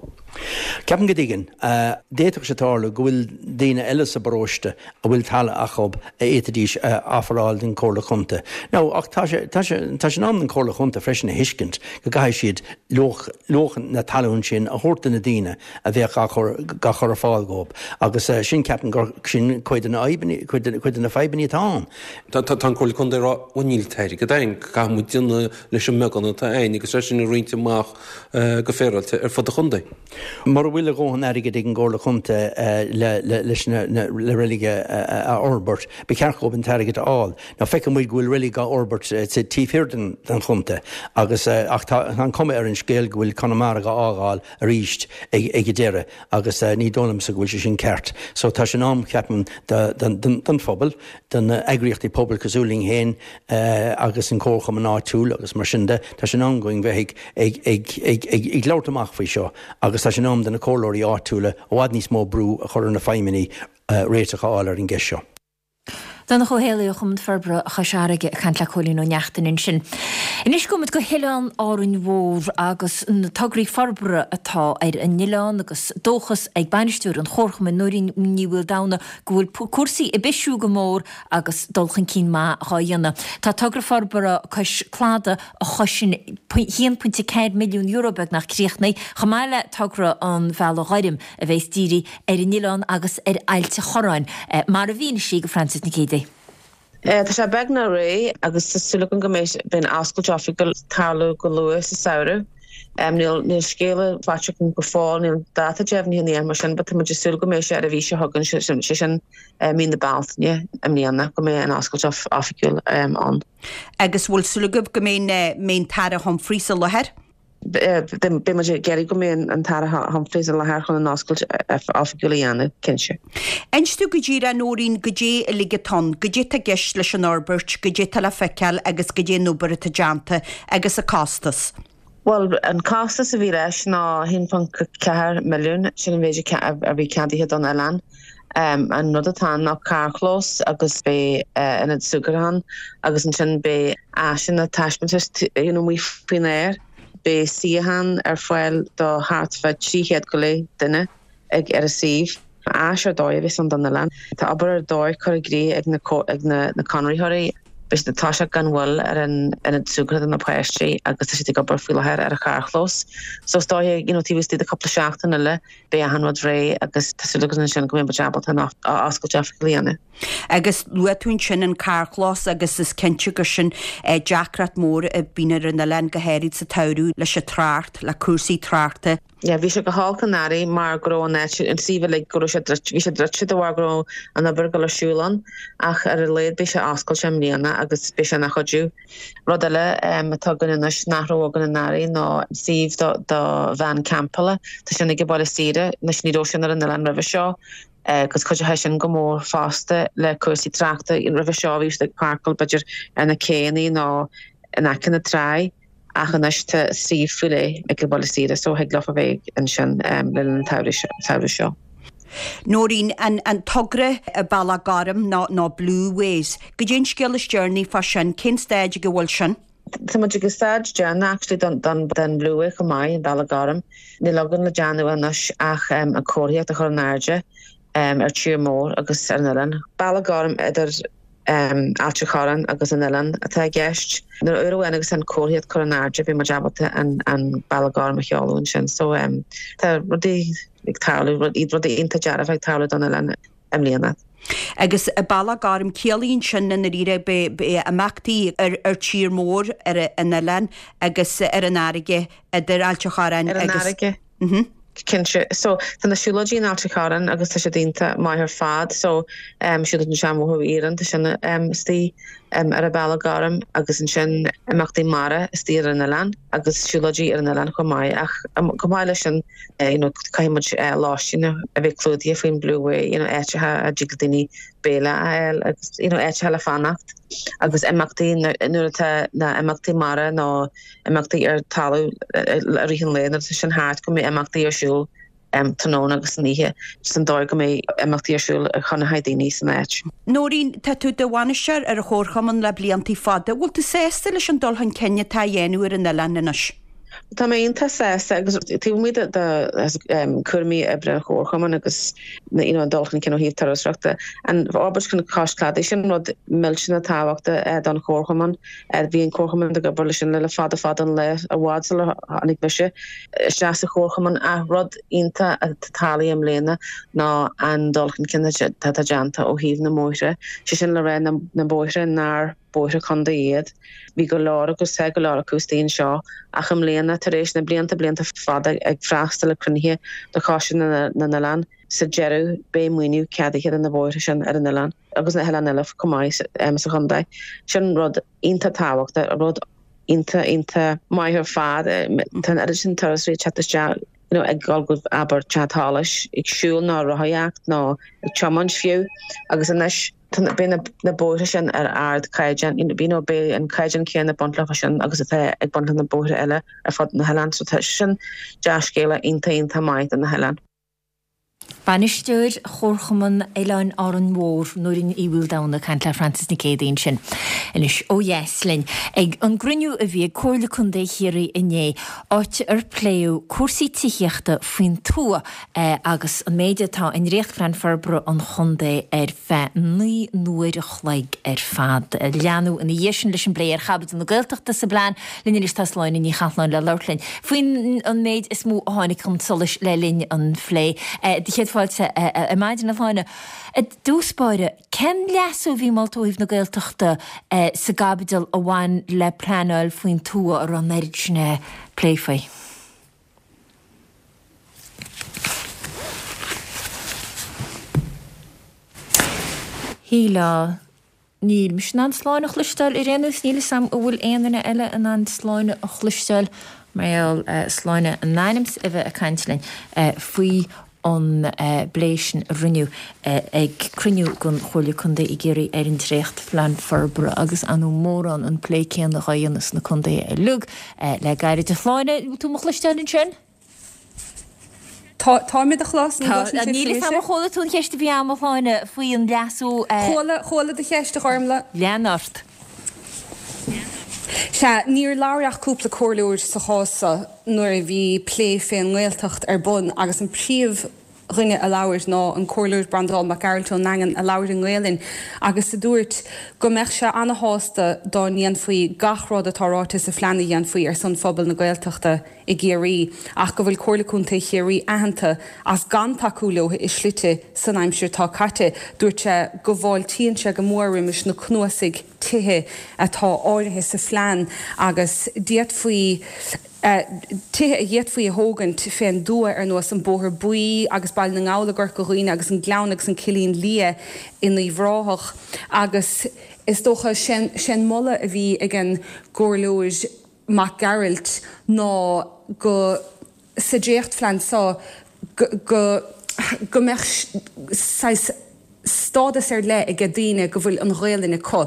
Ceapaim go dtuigeann. D'fhéadfadh sé tarlú go bhfuil daoine eile sa bparóiste a bhfuil talamh acu a fhéadfaidís a ofráil don Chomhairle Chontae. Now, ach tá sé, tá sé, tá sé in am don Chomhairle Chontae freisin a thuiscint go gcaithfidh siad luach, luach na talún sin a thabhairt do na daoine a bheadh á chur, á chur ar fáil dhóibh. Agus sin, ceapaim gur sin cuid de na fadhbanna, cuid de, cuid de na fadhbanna atá ann. Tá, tá an Chomhairle Contae ag rá, bhuel níl an t-airgead againn, caithfidh muid déanamh leis an mbeagán atá againn agus é sin a roinnt amach go féaráilte ar fud an chontae. Mura bhfuil a dhóthain airgid ag an gComhairle Chontae le, le, leis na, na, le reilig a, a, a fhorbairt, ba cheart dhóibh an t-airgead a fháil. Now feiceann muid go bhfuil reilig á fhorbairt sa taobh thiar den, den chontae agus ach tá, tá an cuma ar an scéal go bhfuil Conamara á fhágáil arís ag, ag an deireadh agus ní dóigh liomsa go bhfuil sé sin ceart. So tá sé in am, ceapaim, do, do, don, don phobal, do na eagraíochtaí pobail cosúil linn féin agus an comharchumann áitiúil agus mar sin de, tá sé in am dúinn bheith ag, ag, ag, ag, ag, ag labhairt amach faoi seo agus tá sé in am do na comhairleoirí áitiúla i bhfad níos mó brú a chur ar na feidhmeannaigh réiteach a fháil ar an gceist seo. Donncha Ó Héalaí ó Chumann Forbartha Chois Fharraige ag caint le Cóilín Ó Neachtain ansin. Anois gabhfaidh muid go hOileán Árainn Mhór agus na tograí forbartha atá ar an oileán agus dóchas ag bainisteoir an Chomharchumainn Nóirín Ní Mhaoldomhnaigh go bhfuil cúrsaí ag bisiú go mór agus dul chun cinn maith dhá dhéanamh. Tá togra forbartha cois cladaigh a chosain haon pointe ceathair milliún euro beagnach críochnaithe, chomh maith le togra an Bhealaigh Ghoirm a bheas dírithe ar an oileán agus ar Ailt an Chorráin, mar a mhínigh sí do Frances Nic Géadaigh. Tá sé beagnach réidh agus tá súil agam go mbeidh an oscailt oifigiúil ag tarlú go luath sa samhradh. Níl níl scéala faighte agam go fóill, níl dáta deimhnithe ná aon mar sin, but tá muid ag súil go mbeidh sé ar an mhí seo chugainn, sé sin mí na Bealtaine i mbliana, go mbeidh an oscailt oifigiúil ann. Agus bhfuil súil agaibh go mbeidh an tAire Humphreys i láthair? Beidh muid ag iarraidh go mbeidh an tAire Humphreys i láthair chun an oscailt oifigiúil a dhéanamh, cinnte. Inis dúinn go díreach, a Nóirín, goidé uilig atá ann, goidé atá i gceist leis an fhorbairt, goidé atá le feiceáil agus goidé an obair atá déanta agus an costas. Bhuel, an costas a bhí leis ná a haon ponc ceathair milliún, sin an mhéid a bhí ceadaithe don oileán. An rud atá ann ná carrchlós agus beidh ionad súgartha ann agus ansin beidh áiseanna taispeántais you know amuigh faoin aer. Beidh suíocháin ar fáil do thart fá trí chéad go leith duine ag ar an suíomh. Áis ar dóigh a bheas ann don oileán. Tá obair ar dóigh curtha i gcrích ag na ag na conraitheoirí. Beidh siad ag toiseacht gan mhoill ar an ionad súgartha do na páistí agus tá siad ag obair faoi láthair ar an charrchlós. So is dóiche, you know, taobh istigh de cúpla seachtain eile, beidh achan rud réidh agus tá súil againn ansin go mbeidh muid ábalta an oscailt oifigiúil a dhéanamh. Agus luaigh tú ansin an carrchlós agus is cinnte gur sin deacracht mór a bhíonn ar an oileán go háirid sa tsamhradh leis an trácht, le cúrsaí tráchta. Yeah, bhí sé go holc anuraidh mar go raibh an áit, an suíomh uilig, go raibh sé druidte, bhí sé druidte de bharr go raibh an obair ag dul ar siúl ann ach ar a laghad beidh sé oscailte i mbliana agus beidh sé ina chuidiú. Rud eile atá againn anois nach raibh againn anuraidh ná suíomh do do veain campála. Tá sin ag an bhaile saoire, anois ní raibh sin ar an oileán roimhe seo agus chuidigh sin go mór fosta le cúrsaí tráchta. Roimhe seo bhí siad ag páirceáil b'fhéidir ar na céanna nó in aice na trá. Ach anois tá suíomh faoi leith ag an bhaile saoire so thig leofa bheith ansin le linn an tsamhraidh seo. Nóirín, an togra Bealach Gorm nó nó Blueways, goidé an scéal is deireanaí fá sin, cén staid ag a bhfuil sin? Tá muid ag an staid deireanach actually don don don Blueway chomh maith, an Bealach Gorm. Níl againn le déanamh anois ach an comharthaíocht a chur in airde ar tír mór agus ar an oileán. Bealach Gorm idir Ailt an Chorráin agus an oileán atá i gceist. Nuair uair amháin agus an comharthaíocht curtha in airde beidh muid ábalta an an Bealach Gorm a sheoladh ansin. So tá rudaí ag tarlú, rudaí iontach dearfa ag tarlú don oileán i mbliana. Agus Bealach Gorm, ciallaíonn sin i ndáiríre beidh imeachtaí ar ar tír mór ar an oileán agus ar an fharraige idir Ailt an Chorráin agus. Ar an fharraige. Cinnte. So, tá na siúlóidí in Ailt an Chorráin agus tá siad iontach maith ar fad. So, um, siúlóid an Seanbhóthar Iarainn, tá sin um, istigh um, ar an Bealach Gorm agus ansin imeachtaí mara istigh ar an oileán agus siúlóidí ar an oileán chomh maith. Ach um, chomh maith leis sin, eh, you know, caithfidh muid eh, lóistín a bheith clúdaithe faoin Blue Way, you know, áiteacha a dtig le daoine béile a fháil agus you know, áiteacha le fanacht agus imeachtaí nuair atá na imeachtaí mara nó imeachtaí ar talamh i rith an lae nuair atá sin thart go mbeidh imeachtaí ar siúl tráthnóna agus san oíche just an dóigh go mbeidh imeachtaí ar siúl chun haghaidh daoine san áit. Nóirín, tá tú i do bhainisteoir ar an chomharchumann le blianta fada. Bhfuil tú sásta leis an dul chun cinn atá á dhéanamh ar an oileán anois? Tá mé iontach sásta agus taobh amuigh de chúraimí oibre an chomharchumainn agus you know, an dul chun cinn ó thaobh turasóireachta, an fhorbairt chun cois cladaigh sin rud millteanach tábhachtach don chomharchumann. Bhí an comharchumann ag obair leis sin le fada fada an lá i bhfad sular tháinig mise isteach sa chomharchumann ach rud iontach atá tarlaithe i mbliana ná an dul chun cinn atá déanta ó thaobh na mbóithre, sé sin le rá na bóithre nár bóithre contae iad. Bhí go leor agus tá go leor acu istigh anseo ach i mbliana, tar éis na blianta blianta fada ag freastal ar chruinnithe do Choiste na nOileán, sa deireadh beidh maoiniú ceadaithe do na bóithre sin ar an oileán agus na hoileáin eile chomh maith sa chontae. Sin rud iontach tábhachtach, rud iontach iontach maith ar fad. Tá an oiread sin turasóirí ag teacht isteach you know, ag dul go abair Teach Solais, ag siúl nó rothaíocht nó ag tiomáint fiú agus anois beidh na bóithre sin ar ardchaighdeán, you know, beidh an caighdeán céanna ag baint leo sin agus atá ag baint le na bóithre eile ar fud na hoileáin. So tá sin dea-scéala iontach iontach maith do na hoileáin. Bainisteoir Chomharchumann Oileáin Árainn Mhór, Nóirín Uí Mhaoldomhnaigh, ag caint le Frances Nic Géadaigh ansin. Anois ó dheas linn ag an gcruinniú a bhí ag Comhairle Contae Chiarraí inné, áit ar pléadh cúrsaí tithíochta faoin tuath agus an méid atá i ndréachtphlean forbartha an chontae ar feadh naoi n-uair a chloig ar fad. Leanadh ina dhiaidh sin leis an bplé ar chaibidil na Gaeltachta sa bplean. Linn anois tá Sláine Ní Chathalláin le labhairt linn faoin an méid is mó a tháinig chun solais le linn an phlé. Do chéad fáilte ar maidin, a Shláine. I dtús báire, cén leasú a bhí molta ó thaobh na Gaeltachta sa gcaibidil a bhain le pleanáil faoin tuath a raibh an oiread sin plé faoi? Shílfeá. Níl mise in ann Sláine a chloisteáil ar aon nós, níl 'fhios a'm an bhfuil aon duine eile in ann Sláine a chloisteáil mar gheall Sláine in ainm 's a bheith ag caint linn faoi an bplé sin a rinneadh ag cruinniú den Chomhairle Contae i gCiarraí ar an dréachtphlean forbartha agus ar ndóigh mórán an plé céanna dhá dhéanamh sna contaetha uilig le gairid. A Shláine, bhfuil tú mo chloisteáil ansin? Tá, táim i do chlos, an gcloiseann sibhse Níl 'fhios a'm mise? ar chuala tú an cheist a bhí a'm, a Shláine, faoi an leasú. Chuala, chuala do cheist, a Ghormlaith. Lean ort. Sea, níor labhair ach cúpla comhairleoir sa chás seo nuair a bhí plé fén nGaeltacht ar bun agus an príomh dhuine a labhair ná an Comhairleoir Breandán Mac Gearailt ón nDaingean a labhair i nGaelainn agus a dúirt go mbeadh sé ana-shásta dá ndéanfaí gach rud atá ráite sa phlean a dhéanfaí ar son phobal na Gaeltachta i gCiarraí ach go bhfuil Comhairle Contae Chiarraí aitheanta as gan tacú leo i slite san aimsir atá caite. Dúirt sé go bhfáiltíonn sé go mór roimis na cnuasaigh tithe atá áirithe sa phlean agus d'fhéadfaí tithe a d'fhéadfaí a thógaint fén dtuath ar nós an Bóthar Buí agus Baile na nGall i gCorca Dhuibhne agus an Gleann agus an Cillín Liath in Uíbh Ráthach agus is dócha sé'n moladh a bhí ag an gComhairleoir Mac Gearailt ná go sa dréachtphlean seo go go mbeadh saghas stádas ar leith aige daoine go bhfuil an Ghaelainn acu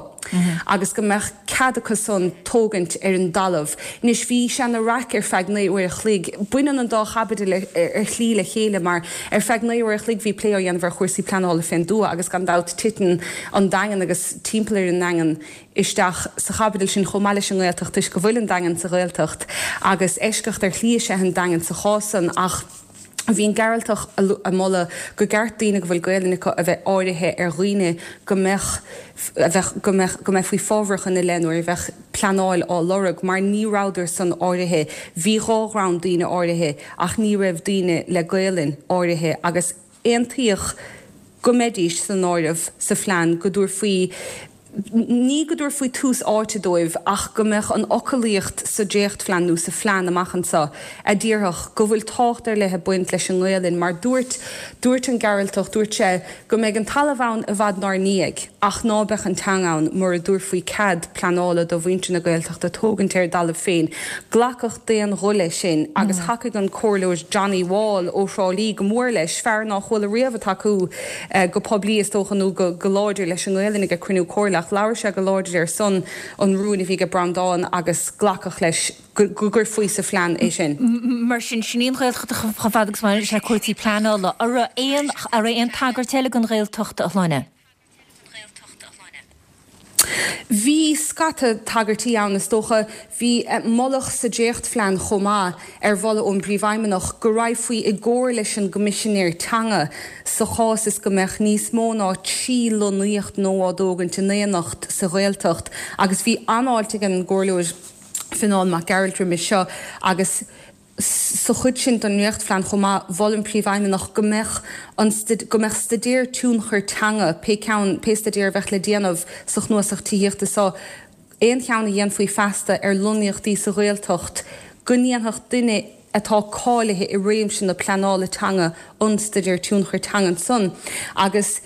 agus go mbeadh cead acu san tógaint ar an dtalamh. Anois bhí sé ina raic ar feadh naoi uair a chloig. Baineann an dá chaibidil ar shlí le chéile mar ar feadh naoi uair a chloig bhí plé á dhéanamh ar chúrsaí pleanála fén dtuath agus gan dabht titeann an Daingean agus timpeall ar an nDaingean isteach sa chaibidil sin chomh maith leis an nGaeltacht toisc go bhfuil an Daingean sa Ghaeltacht agus eisceacht ar shlí is ea an Daingean sa chás san ach Bhí an Gearaltach ag moladh go gceart daoine go bhfuil Gaelainn acu a bheith áirithe ar dhaoine go mbeadh a bheadh go mbeadh go mbeifí fábharach ina leith nuair a bheadh pleanáil á lorg mar ní rabhadar san áirithe. Bhí dhá dhream daoine áirithe ach ní raibh daoine le Gaelainn áirithe agus aontaíodh go mbeidís san áireamh sa phlean go dtabharfaí ní go dtabharfaí tús áite dóibh ach go mbeadh an fhoclaíocht sa dréachtphlean nó sa phlean amach anseo a déarfadh go bhfuil tábhacht ar leith ag baint leis an nGaelainn mar dúirt dúirt an Gearaltach dúirt sé go mbeidh an talamh ann i bhfad 'nár ndiaidh ach ná beadh an teanga ann mura dtabharfaí cead pleanála do mhuintir na Gaeltachta tógaint ar a dtalamh féin. Glacadh d'aon ghuth leis sin agus thacaigh an Comhairleoir Johnny Wall ó Thrá Lí go mór leis, fear ná chuala riamh ag tacú go poiblí is dócha nó go láidir leis an nGaelainn ag cruinniú comhairle ach labhair sé go láidir ar son an rúin a bhí ag Breandán agus glacadh leis go gcuirfí sa phlean é sin. Mar sin, sin í an Ghaeltacht chomh fada agus a bhaineann sé le cúrsaí pleanála. An raibh aon, an raibh aon tagairt eile don Ghaeltacht, a Shláine? Bhí scata tagairtí ann, is dócha. Bhí moladh sa dréachtphlean chomh maith, ar mholadh ón bPríomhfheidhmeannach, go raghfaí i gcomhar leis an gCoimisinéir Teanga sa chás is go mbeadh níos mó ná trí lonnaíocht nua á dtógaint in éineacht sa Ghaeltacht agus bhí an-fháilte ag an gComhairleoir Fionán Mac Gearailt roimis seo agus Sa chuid sin den ndréachtphlean chomh maith, mhol an Príomhfheidhmeannach go mbeadh an go mbeadh staidéar tionchair teanga, pé ceann, pé staidéar a bheadh le déanamh sa chnuasach tithíochta seo, aon cheann a dhéanfaí feasta ar lonnaíochtaí sa Ghaeltacht, go ndéanfadh duine atá cáilithe i réimse na pleanála teanga an staidéar tionchair teanga ansan agus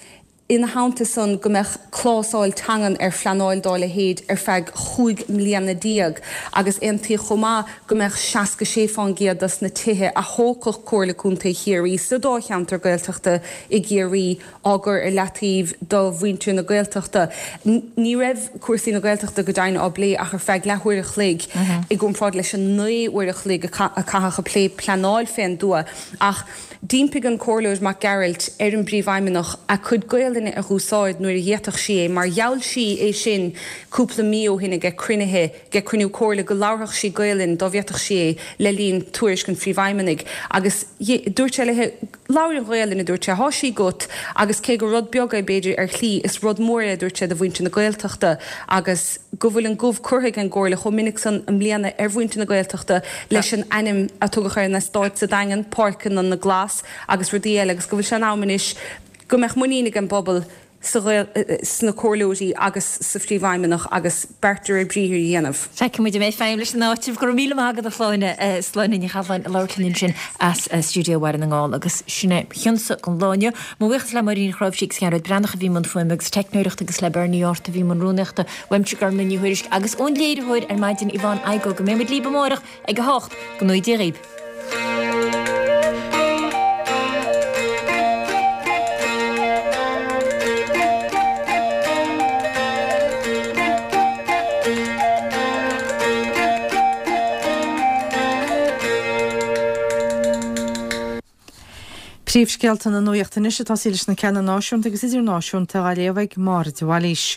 ina theannta san, go mbeadh clásáil teangan ar phleanáil dá leithéid ar feadh chúig mbliana déag agus aontaíodh chomh maith go mbeadh seasca sé fán gcéad dos na tithe a thógfadh Comhairle Contae Chiarraí sa dá cheantar Gaeltachta i gCiarraí á gcur ar leataobh do mhuintir na Gaeltachta. Ní raibh cúrsaí na Gaeltachta go deimhin á bplé ach ar feadh leathuair a chloig i gcomparáid leis an naoi uair a chloig a caitheadh ag plé pleanáil fén dtuath ach D'impigh an Comhairleoir Mac Gearailt ar an bPríomhfheidhmeannach a cuid Gaolainne a dh'úsáid nuair a d'fhéadfadh sí é mar gheall sí é sin cúpla mí ó shin aige cruinnithe aige cruinniú comhairle go labharfadh sí Gaolainn dá bhféadfadh sí é le linn tuairisc an Phríomhfheidhmeannaigh agus dúirt sé léi Labhair an Ghaolainn a dúirt sé, thá sí agat agus cé gur rud beag é b'fhéidir ar shlí is rud mór é a dúirt sé do mhuintir na Gaeltachta agus go bhfuil an gob curtha ag an gComhairle chomh minic san i mbliana ar mhuintir na Gaeltachta leis an ainm a tugadh ar an eastát sa Daingean, Páirceanna na nGlas agus rudaí eile agus go bhfuil sé in am anois go mbeadh muinín ag an bpobal sa sna comhairleoirí agus sa Phríomhfheidhmeannach agus beart de réir briathair a dhéanamh. Feicfidh muid an mbeidh feidhm leis an áiteamh. Go raibh míle maith agat a Shláine, Sláine Ní Chathalláin ag labhairt linn ansin as stiúideo Bhaile na nGall agus sin é mo chionsa don lá inniu. Mo bhuíochas le Máirín Ní Chráimhsí agus Gearóid Breathnach a bhí i mbun fuaime agus teicneoireachta agus le Bernie Art a bhí i mbun rúnaíochta. Uaimse Gormlaith Ní Thuairisg agus ón léiritheoir ar maidin Yvonne Igoe go mbeidh muid libh amárach ag a hocht. Go ngnóthaí Dia dhaoibh. Príomhscéalta na nuachta anois ag tosaí leis na ceanna náisiúnta agus idirnáisiúnta á léamh ag Máire de Bhailís.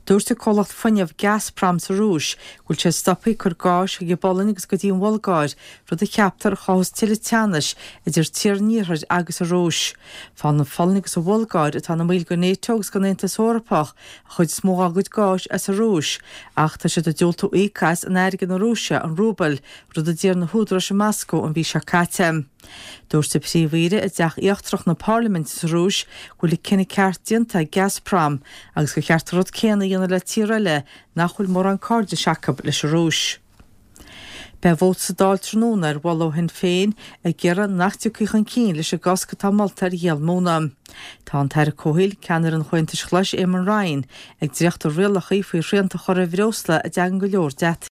Dúirt an comhlacht fuinnimh Gazprom sa Rúis go bhfuil sé stoptha ag cur gáis chuig an bPolainn agus go dtí an Bhulgáir, rud a cheaptar a chothós tuilleadh teannais idir tíortha an Iarthair agus an Rúis. Faigheann an Pholainn agus an Bhulgáir, atá ina mbaill den NATO agus den Aontas Eorpach, an chuid is mó dá gcuid gáis as an Rúis, ach tá siad ag diúltú íoc as in airgead na Rúise, an rúbal, rud a d'iarr na húdaráis i Moscó an mhí seo caite. Dúirt an Príomh-Aoire i dTeach Íochtarach na Parlaiminte sa Rúis go bhfuil an cinneadh ceart déanta ag Gazprom agus gur cheart an rud céanna a dhéanamh le tíortha eile nach bhfuil mórán cairdis acu leis an Rúis. Beidh vóta sa Dáil tráthnóna ar mholadh ó Shinn Féin ag iarraidh nach dtiocfaí chun cinn leis an gcosc atá molta ar dhíol móna. Tá an tAire Comhshaoil, ceannaire an Chomhaontais Ghlais Éamon Ryan, ag dréachtú rialacha faoi shrianta a chur ar bhreosla a dtagann go leor deataigh.